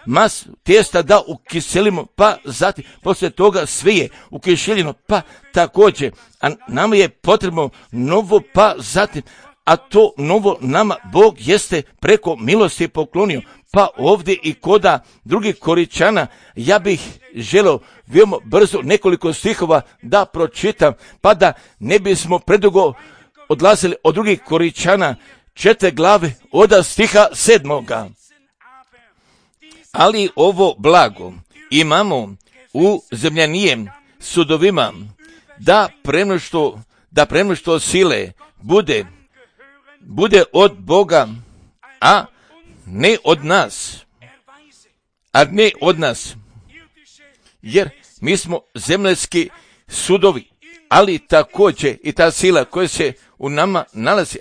Speaker 1: mas testa da ukiselimo, pa zatim poslije toga sve je ukiseljeno, pa također, a nama je potrebno novo, pa zatim, a to novo nama Bog jeste preko milosti poklonio, pa ovdje i koda drugih Koričana, ja bih želio veoma brzo nekoliko stihova da pročitam, pa da ne bismo predugo odlazili od drugih Koričana, četiri glave od stiha sedmoga. Ali ovo blago imamo u zemljanijem sudovima, da premnoštvo, da premnoštvo sile bude, bude od Boga, a ne od nas, a ne od nas, jer mi smo zemljski sudovi, ali također i ta sila koja se u nama nalazi,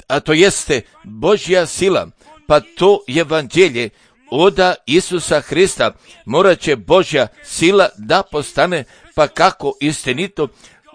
Speaker 1: a to jeste Božja sila, pa to evanđelje od Isusa Hrista, morat će Božja sila da postane, pa kako istinito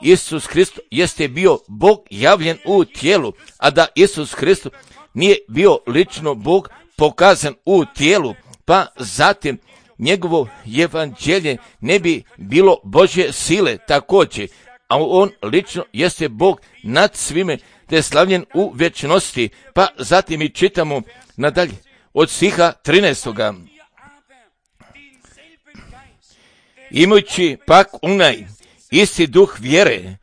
Speaker 1: Isus Hrist jeste bio Bog javljen u tijelu, a da Isus Hrist nije bio lično Bog pokazan u tijelu, pa zatim njegovo evanđelje ne bi bilo Božje sile također, a on lično jeste Bog nad svime, te slavljen u vječnosti, pa zatim i čitamo nadalje od stiha trinaestoga. Imajući pak onaj isti duh vjere,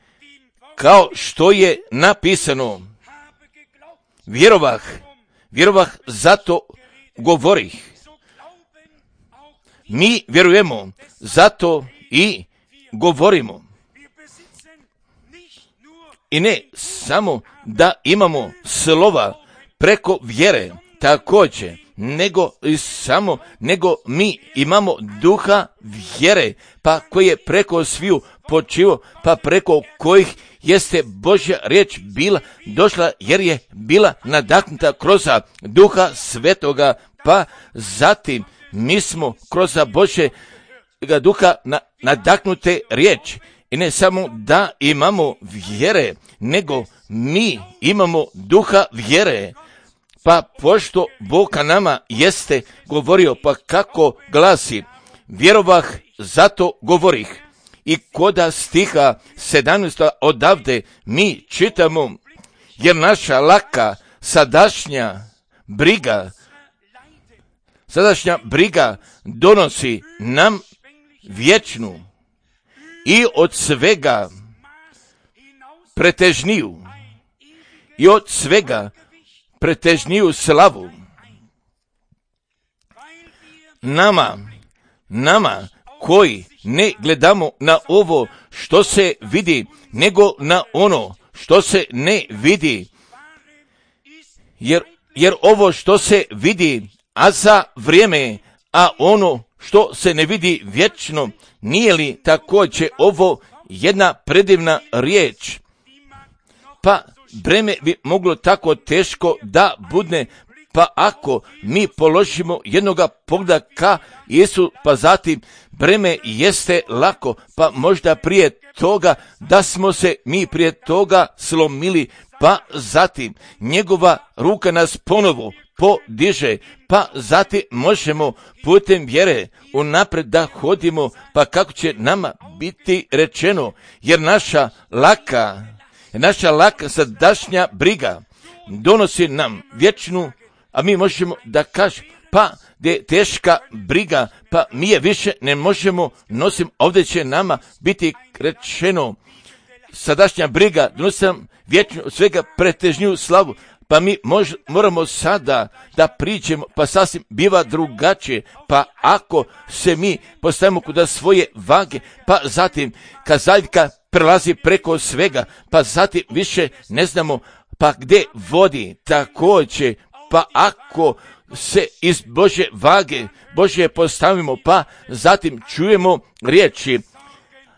Speaker 1: kao što je napisano, vjerovah, vjerovah, zato govorih. Mi vjerujemo, zato i govorimo. I ne samo da imamo slova preko vjere, također, nego i samo, nego mi imamo duha vjere, pa koji je preko sviju počivo, pa preko kojih jeste Božja riječ bila došla, jer je bila nadahnuta kroz duha svetoga, pa zatim mi smo kroz Božje Svetoga Duha na, nadahnute riječi. I ne samo da imamo vjere, nego mi imamo duha vjere. Pa pošto Bog ka nama jeste govorio, pa kako glasi, vjerovah, zato govorih. I koda stiha sedamnaest odavde mi čitamo, jer naša laka sadašnja briga, sadašnja briga donosi nam vječnu i od svega pretežniju i od svega pretežniju slavu. Nama, nama koji ne gledamo na ovo što se vidi, nego na ono što se ne vidi. Jer, jer ovo što se vidi, a za vrijeme, a ono što se ne vidi vječno, nije li također ovo jedna predivna riječ? Pa breme bi moglo tako teško da budne, pa ako mi položimo jednoga pogleda ka Isu, pa zatim breme jeste lako, pa možda prije toga da smo se mi prije toga slomili, pa zatim njegova ruka nas ponovo podiže, pa zatim možemo putem vjere unaprijed da hodimo, pa kako će nama biti rečeno, jer naša laka, naša laka sadašnja briga donosi nam vječnu, a mi možemo da kažemo, pa da je teška briga, pa mi je više ne možemo nosim, ovdje će nama biti rečeno, sadašnja briga donosi nam vječnu, svega pretežniju slavu, pa mi mož, moramo sada da priđemo, pa sasvim biva drugačije, pa ako se mi postavimo kuda svoje vage, pa zatim kazaljka prelazi preko svega, pa zatim više ne znamo, pa gdje vodi također, pa ako se iz Božje vage, Božje postavimo, pa zatim čujemo riječi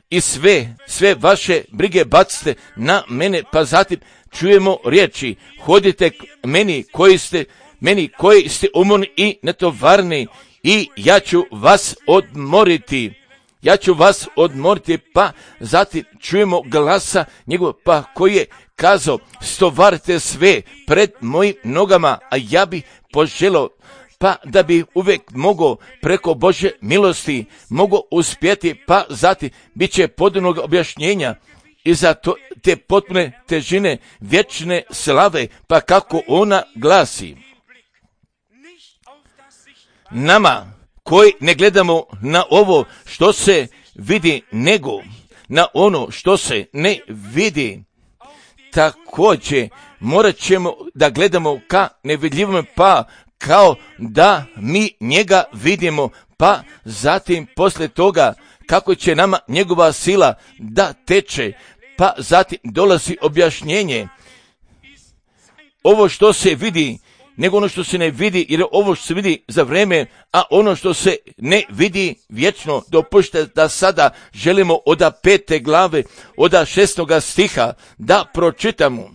Speaker 1: i sve, sve vaše brige bacite na mene, pa zatim čujemo riječi, hodite k meni koji ste, meni koji ste umorni i netovarni i ja ću vas odmoriti. Ja ću vas odmoriti, pa zatim čujemo glasa njegov, pa koji je kazao, stovarite sve pred mojim nogama, a ja bih poželio, pa da bi uvijek mogao preko Božje milosti, mogao uspjeti, pa zatim bit će podobnog objašnjenja i za to, te potpune težine vječne slave, pa kako ona glasi. Nama koji ne gledamo na ovo što se vidi, nego na ono što se ne vidi, također morat ćemo da gledamo ka nevidljivom, pa kao da mi njega vidimo, pa zatim poslije toga kako će nama njegova sila da teče, pa zatim dolazi objašnjenje. Ovo što se vidi, nego ono što se ne vidi, jer ovo što se vidi za vrijeme, a ono što se ne vidi vječno. Dopušte da sada želimo od pete glave, od šestoga stiha da pročitamo.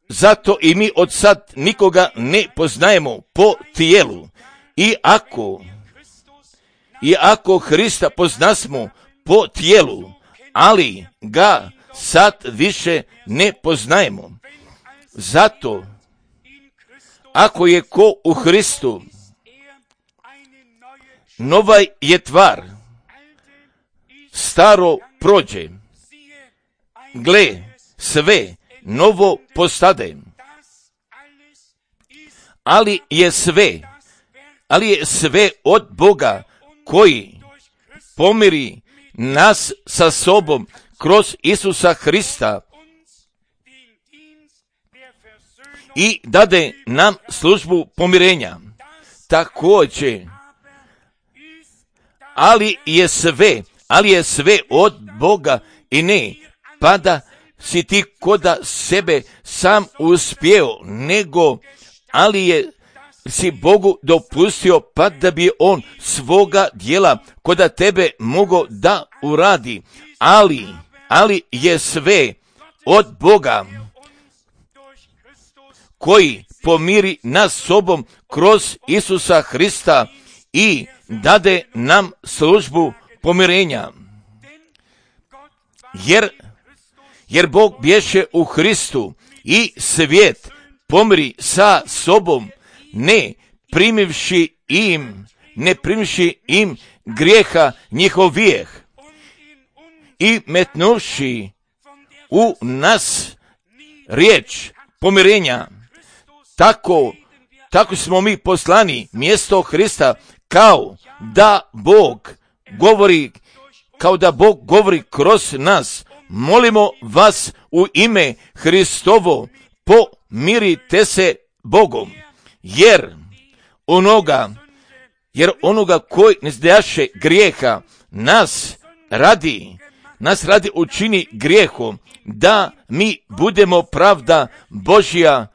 Speaker 1: Zato i mi od sad nikoga ne poznajemo po tijelu. I ako, i ako Hrista poznasmo po tijelu, ali ga sad više ne poznajemo. Zato, ako je ko u Hristu, nova je tvar, staro prođe, gle, sve novo postade, ali je sve, ali je sve od Boga koji pomiri nas sa sobom kroz Isusa Hrista i dade nam službu pomirenja. Također, ali je sve, ali je sve od Boga i ne pada si ti koda sebe sam uspio, nego ali je si Bogu dopustio pa da bi on svoga djela koda tebe mogao da uradi, ali, ali je sve od Boga koji pomiri nas sobom kroz Isusa Hrista i dade nam službu pomirenja. Jer, jer Bog bješe u Hristu i svijet pomiri sa sobom, ne primivši im, ne primivši im grijeha njihovijeh i metnuvši u nas riječ pomirenja. Tako, tako smo mi poslani mjesto Hrista, kao da Bog govori, kao da Bog govori kroz nas. Molimo vas u ime Hristovo, pomirite se Bogom, jer onoga, jer onoga koji ne zdajaše grijeha, nas radi, nas radi učini grijehom, da mi budemo pravda Božja,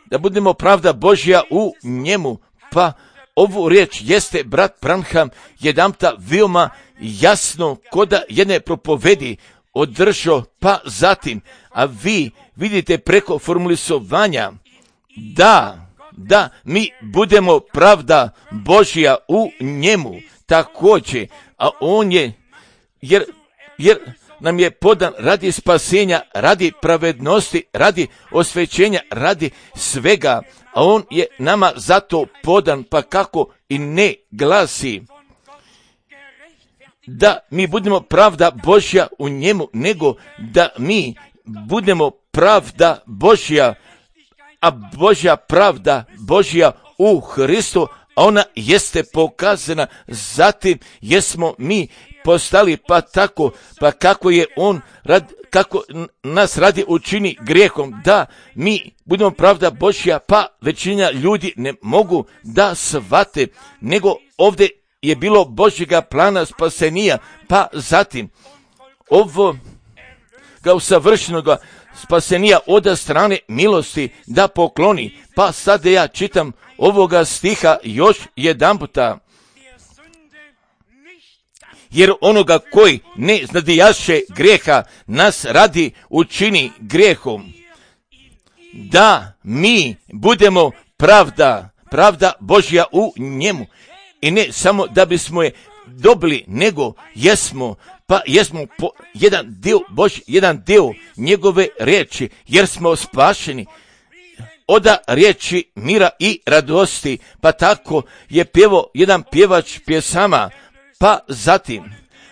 Speaker 1: da budemo pravda Božja u njemu. Pa ovu riječ jeste brat Branham jedanputa veoma jasno koda jedne propovedi održao, pa zatim, a vi vidite preko formulisovanja da, da mi budemo pravda Božja u njemu također, a on je, jer, jer nam je podan radi spasenja, radi pravednosti, radi osvećenja, radi svega, a on je nama zato podan, pa kako i ne glasi da mi budemo pravda Božja u njemu, nego da mi budemo pravda Božja, a Božja pravda Božja u Hristu, a ona jeste pokazana, zatim jesmo mi postali, pa tako, pa kako je on, rad, kako nas radi učini grijehom, da mi budemo pravda Božja, pa većina ljudi ne mogu da shvate, nego ovdje je bilo Božjega plana spasenija, pa zatim ovo kao savršenoga spasenija od strane milosti da pokloni. Pa sad ja čitam ovoga stiha još jedan puta. Jer onoga koji ne znadijaše grijeha, nas radi učini grijehom, da mi budemo pravda, pravda Božja u njemu. I ne samo da bismo je dobili, nego jesmo, pa jesmo po jedan dio Božji, jedan dio njegove riječi, jer smo spašeni od riječi mira i radosti. Pa tako je pjevao jedan pjevač pjesama, pa zatim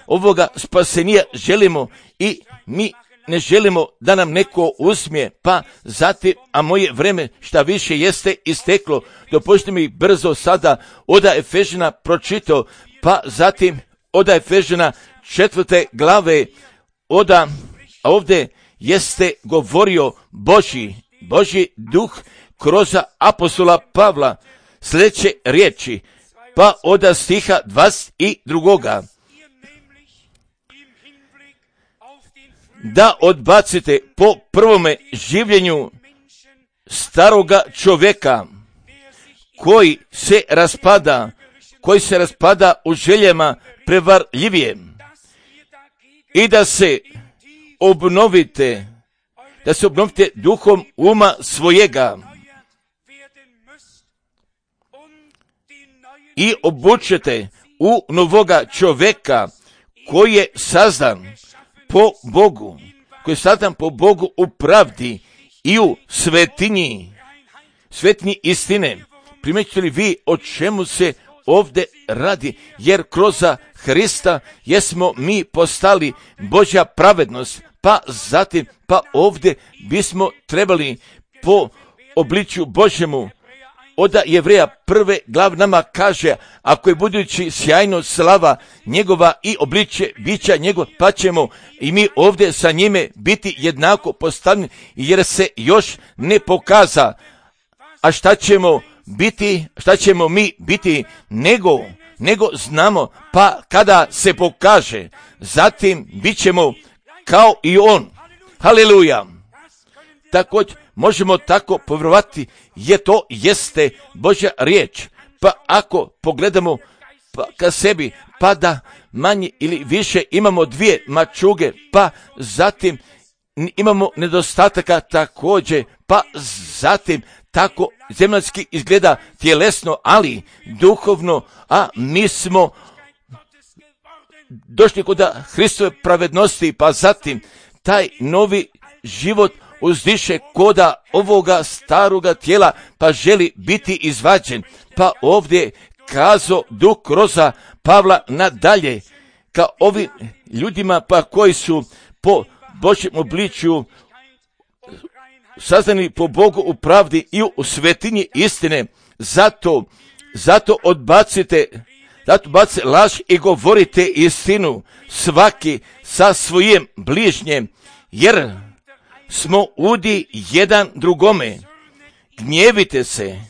Speaker 1: ovoga spasenija želimo i mi ne želimo da nam neko usmije, pa zatim, a moje vreme šta više jeste isteklo, dopustite mi brzo sada od Efežana pročitao, pa zatim od Efežana četvrte glave, oda, a ovdje jeste govorio Božji, Božji duh kroz apostola Pavla, sljedeće riječi, pa od stiha dvadeset drugoga. Da odbacite po prvome življenju staroga čovjeka koji se raspada, koji se raspada u željama prevarljivije, i da se obnovite, da se obnovite duhom uma svojega i obučete u novoga čovjeka koji je sazdan po Bogu, koji je sazdan po Bogu u pravdi i u svetinji, svetinji istine. Primjećujete li vi o čemu se ovdje radi? Jer kroz Hrista jesmo mi postali Božja pravednost, pa zatim, pa ovdje bismo trebali po obličju Božjemu. Od Jevreja prve glav nama kaže, ako je budući sjajno slava njegova i obličje bića njegov, pa ćemo i mi ovdje sa njime biti jednako postavljeni, jer se još ne pokaza. A šta ćemo biti, šta ćemo mi biti, nego, nego znamo, pa kada se pokaže, zatim bit ćemo kao i on. Haleluja! Također možemo tako povjerovati, je to jeste Božja riječ. Pa ako pogledamo pa ka sebi, pa da manje ili više imamo dvije mačuge, pa zatim imamo nedostataka također, pa zatim tako zemaljski izgleda tjelesno, ali duhovno, a mi smo došli kod Hristove pravednosti, pa zatim taj novi život uzdiše koda ovoga staroga tijela, pa želi biti izvađen. Pa ovdje kazo duh kroz Pavla nadalje, ka ovim ljudima pa koji su po Božjem obličju sazdani po Bogu u pravdi i u svetinji istine. Zato, zato odbacite, zato odbacite laž i govorite istinu svaki sa svojim bližnjem, jer smo udi jedan drugome. Gnjevite se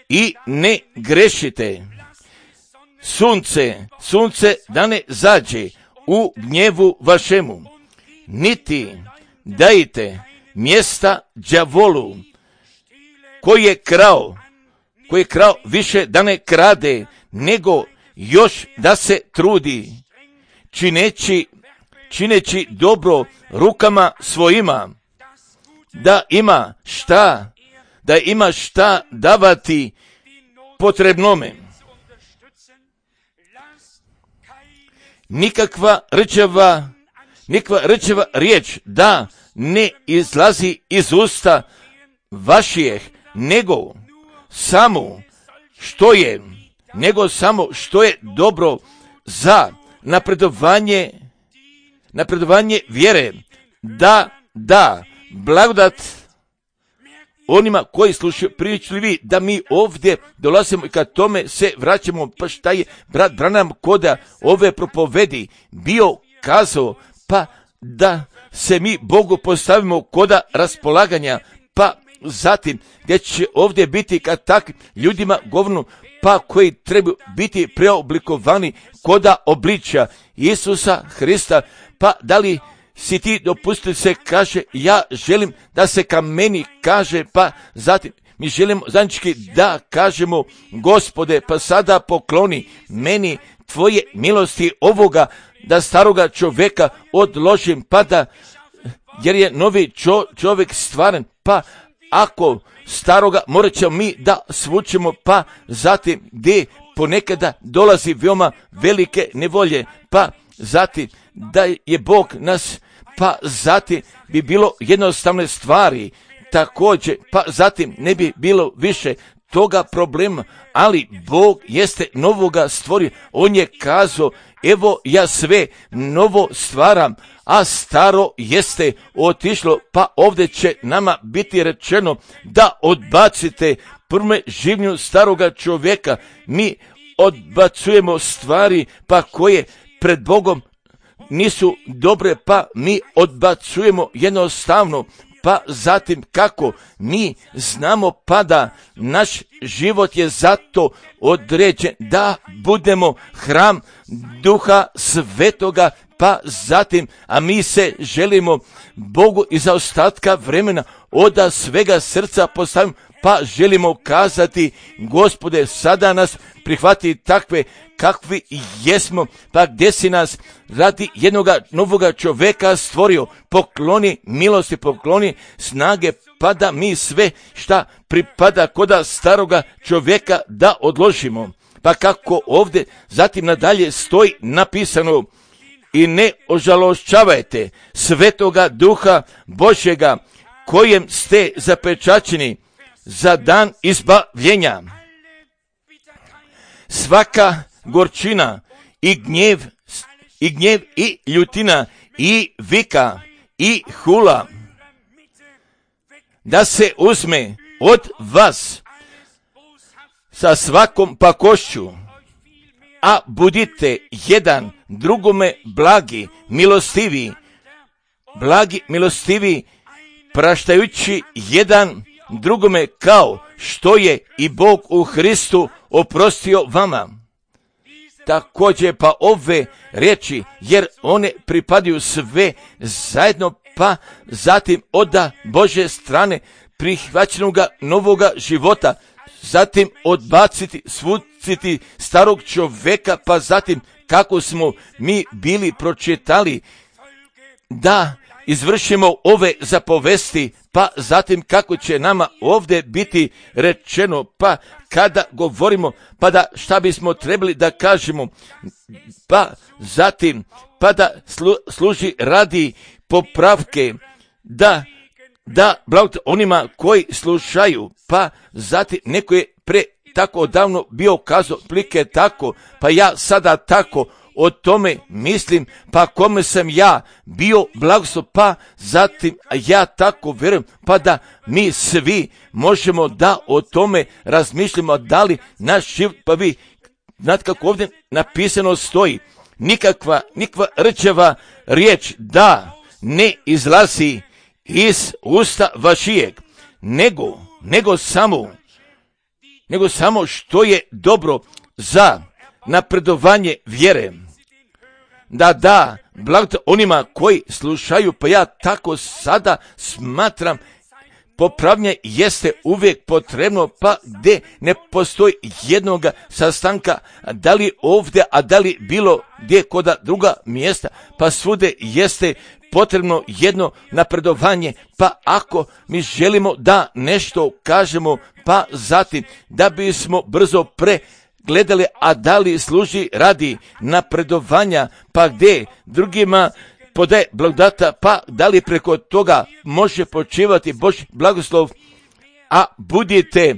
Speaker 1: i ne grešite. Sunce, sunce da ne zađe u gnjevu vašemu, niti dajte mjesta đavolu, koji je krao, koji je krao više da ne krade, nego još da se trudi, čineći, čineći dobro rukama svojima, da ima šta, da ima šta davati potrebnome. Nikakva rčeva, nikakva rčeva riječ da ne izlazi iz usta vaših, nego samo što je, nego samo što je dobro za napredovanje, napredovanje vjere, da, da, blagodat onima koji slušaju pričljivi, da mi ovdje dolazimo i kad tome se vraćamo, pa šta je brat Branham koda ove propovedi bio kazao, pa da se mi Bogu postavimo koda raspolaganja, pa zatim gdje će ovdje biti kad takvim ljudima govornu, pa koji trebaju biti preoblikovani koda obličja Isusa Hrista, pa da li si ti dopustili se kaže, ja želim da se ka meni kaže, pa zatim mi želimo zajednički da kažemo, Gospode, pa sada pokloni meni tvoje milosti ovoga, da staroga čovjeka odložim, pa da, jer je novi čo, čovjek stvaren, pa ako staroga morat ćemo mi da svučemo, pa zatim gdje ponekada dolazi veoma velike nevolje, pa zatim da je Bog nas, pa zatim bi bilo jednostavne stvari također, pa zatim ne bi bilo više toga problema, ali Bog jeste novoga stvorio. On je kazao, evo ja sve novo stvaram, a staro jeste otišlo, pa ovdje će nama biti rečeno da odbacite prve živnju staroga čovjeka. Mi odbacujemo stvari pa koje pred Bogom nisu dobre, pa mi odbacujemo jednostavno, pa zatim kako mi znamo pa da naš život je zato određen da budemo hram Duha Svetoga, pa zatim, a mi se želimo Bogu iza ostatka vremena od svega srca postavimo, pa želimo kazati, Gospode, sada nas prihvati takve kakvi jesmo, pa gdje si nas radi jednoga novoga čovjeka stvorio, pokloni milosti, pokloni snage, pa da mi sve šta pripada koda staroga čovjeka da odložimo. Pa kako ovdje zatim nadalje stoji napisano, i ne ožalošćavajte Svetoga Duha Božjega, kojem ste zapečaćeni za dan izbavljenja. Svaka gorčina i gnjev i gnjev i ljutina i vika i hula da se uzme od vas sa svakom pakošću, a budite jedan drugome blagi, milostivi, blagi, milostivi, praštajući jedan drugome kao što je i Bog u Hristu oprostio vama. Također pa ove riječi, jer one pripadaju sve zajedno, pa zatim od Božje strane prihvaćenoga novoga života, zatim odbaciti, svuciti starog čovjeka, pa zatim kako smo mi bili pročitali da izvršimo ove zapovesti, pa zatim kako će nama ovdje biti rečeno, pa kada govorimo, pa da šta bismo trebali da kažemo, pa zatim, pa da slu, služi radi popravke, da, da blagodat onima koji slušaju, pa zatim neko je pre tako davno bio kazao plike tako, pa ja sada tako o tome mislim, pa kome sam ja bio blagoslov, pa zatim ja tako vjerujem, pa da mi svi možemo da o tome razmišljamo, da li naš život, pa vi znate kako ovdje napisano stoji, nikakva, nikakva rčeva riječ da ne izlazi iz usta vašijeg, nego, nego samo, nego samo što je dobro za napredovanje vjere, da da blagodat onima koji slušaju, pa ja tako sada smatram, popravljanje jeste uvijek potrebno, pa gdje ne postoji jednoga sastanka, da li ovdje, a da li bilo gdje koda druga mjesta, pa svude jeste potrebno jedno napredovanje, pa ako mi želimo da nešto kažemo, pa zatim da bismo brzo pre gledali, a da li služi radi napredovanja, pa gdje drugima podaje blagodata, pa da li preko toga može počivati Božji blagoslov, a budite,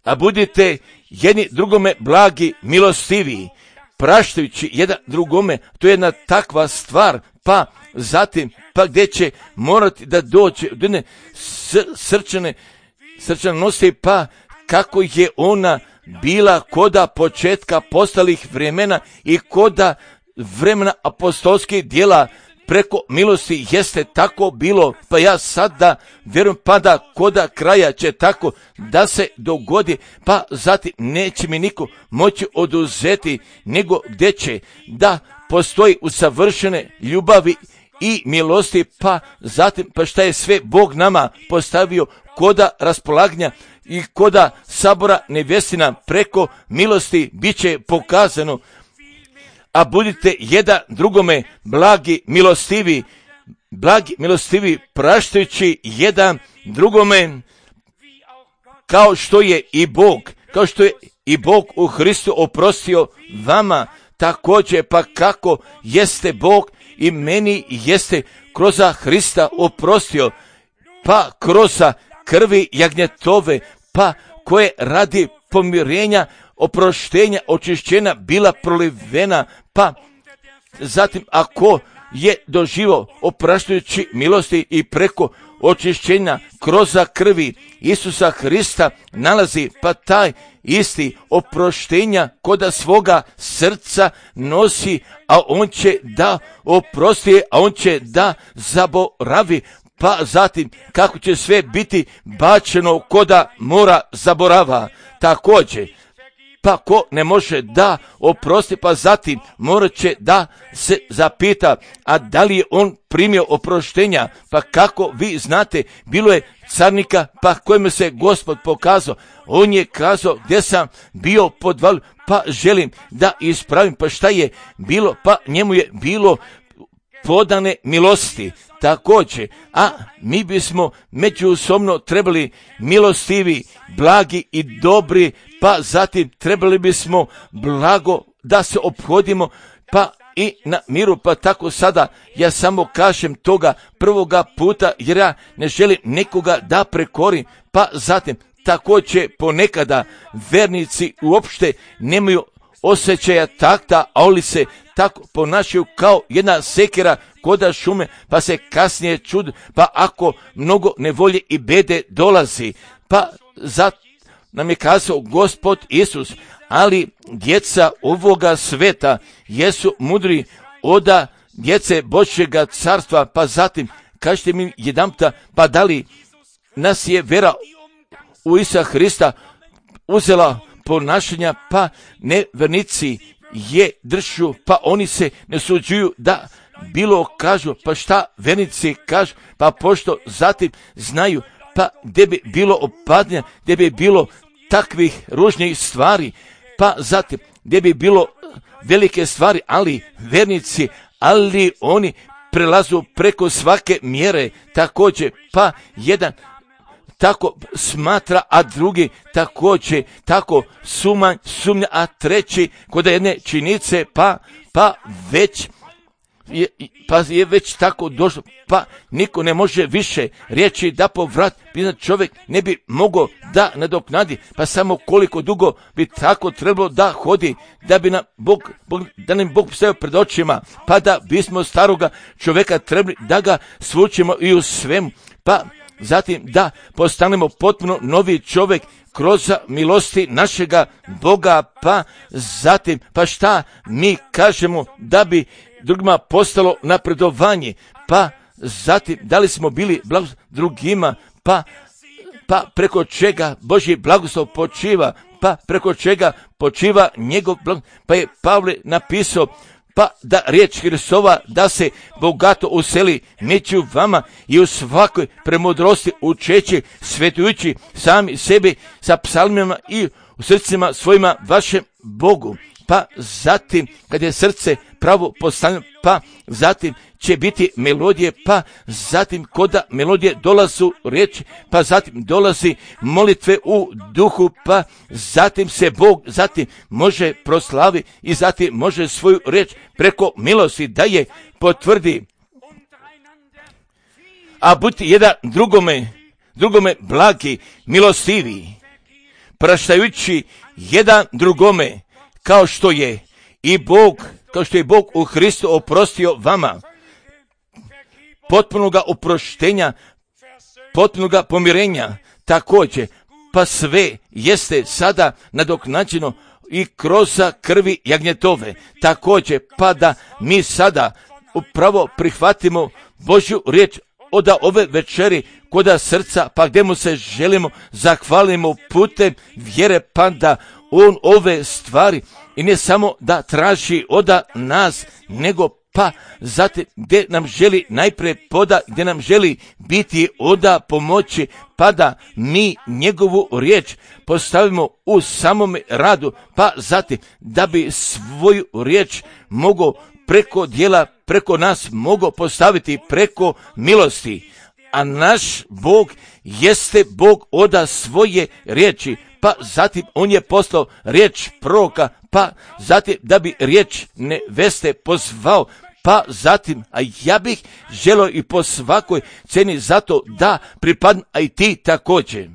Speaker 1: a budite jedni drugome blagi, milostivi, praštajući jedan drugome, to je jedna takva stvar, pa zatim, pa gdje će morati da dođe od jedne srčane, srčanosti, pa kako je ona bila koda početka postalih vremena i koda vremena apostolskih djela preko milosti jeste tako bilo, pa ja sada vjerujem pa da koda kraja će tako da se dogodi, pa zatim neće mi niko moći oduzeti, nego gdje će da postoji usavršene ljubavi i milosti, pa zatim pa šta je sve Bog nama postavio koda raspolaganja i koda sabora nevjestina preko milosti bit će pokazano, a budite jedan drugome blagi, milostivi, blagi, milostivi, praštajući jedan drugome, kao što je i Bog, kao što je i Bog u Hristu oprostio vama, također pa kako jeste Bog i meni jeste kroz Hrista oprostio, pa kroz krvi jagnjetove, pa koje radi pomirenja, oproštenja, očišćenja bila prolivena, pa zatim ako je doživio opraštajući milosti i preko očišćenja kroz krvi Isusa Hrista nalazi, pa taj isti oproštenja koda svoga srca nosi, a on će da oprosti, a on će da zaboravi, pa zatim kako će sve biti bačeno koda mora zaborava. Također, pa ko ne može da oprosti, pa zatim morat će da se zapita, a da li je on primio oproštenja, pa kako vi znate, bilo je carnika, pa kojemu se Gospod pokazao, on je kazao gdje sam bio podvalio, pa želim da ispravim, pa šta je bilo, pa njemu je bilo podane milosti. Također, a mi bismo međusobno trebali milostivi, blagi i dobri, pa zatim trebali bismo blago da se ophodimo, pa i na miru, pa tako sada ja samo kažem toga prvoga puta, jer ja ne želim nekoga da prekorim, pa zatim također ponekada vernici uopšte nemaju osjećaja takta, a oni se tako ponašaju kao jedna sekera koda šume, pa se kasnije čud, pa ako mnogo nevolje i bede dolazi, pa zato nam je kazao Gospod Isus, ali djeca ovoga sveta jesu mudri oda djece Božjega carstva, pa zatim kažete mi jedanputa, pa da li nas je vera u Isusa Hrista uzela ponašanja, pa nevernici je dršu, pa oni se ne suđuju da bilo kažu, pa šta vernici kažu, pa pošto zatim znaju, pa gdje bi bilo opadnja, gdje bi bilo takvih ružnih stvari, pa zatim gdje bi bilo velike stvari, ali vernici, ali oni prelazu preko svake mjere, također, pa jedan tako smatra, a drugi također tako sumnja, sumnja, a treći kod jedne činice, pa, pa već je, pa je već tako došlo, pa niko ne može više reći da povrat, čovjek ne bi mogao da nadoknadi, pa samo koliko dugo bi tako trebalo da hodi, da bi nam Bog, Bog da nam Bog stavio pred očima, pa da bismo staroga čovjeka trebali da ga svučimo i u svemu, pa zatim da postanemo potpuno novi čovjek kroz milosti našega Boga, pa zatim, pa šta mi kažemo da bi drugima postalo napredovanje, pa zatim da li smo bili blagoslov drugima, pa, pa preko čega Božji blagoslov počiva, pa preko čega počiva njegov blagoslov, pa je Pavle napisao, pa da riječ Hristova da se bogato useli među vama i u svakoj premudrosti učeći, svetujući sami sebi sa psalmima i u srcima svojima vašem Bogu. Pa zatim kad je srce pravo postavljeno, pa zatim će biti melodije, pa zatim koda melodije dolazu riječi, pa zatim dolazi molitve u duhu, pa zatim se Bog zatim može proslavi i zatim može svoju riječ preko milosti da je potvrdi. A budite jedan drugome, drugome blagi, milostivi, praštajući jedan drugome, kao što je i Bog, kao što je Bog u Hristu oprostio vama, potpunoga oproštenja, potpunoga pomirenja, također, pa sve jeste sada nadoknađeno i kroz krvi jagnjetove, također, pa da mi sada upravo prihvatimo Božju riječ od ove večeri koda srca, pa gdje mu se želimo zahvalimo putem vjere, pa da on ove stvari i ne samo da traži od nas, nego pa zatim gdje nam želi najprije poda, gdje nam želi biti oda pomoći, pa da mi njegovu riječ postavimo u samome radu, pa zatim da bi svoju riječ mogao preko djela, preko nas mogao postaviti preko milosti. A naš Bog jeste Bog oda svoje riječi, pa zatim on je poslao riječ proroka, pa zatim da bi riječ neveste pozvao, pa zatim, a ja bih želio i po svakoj ceni zato da pripadnem, a i ti također.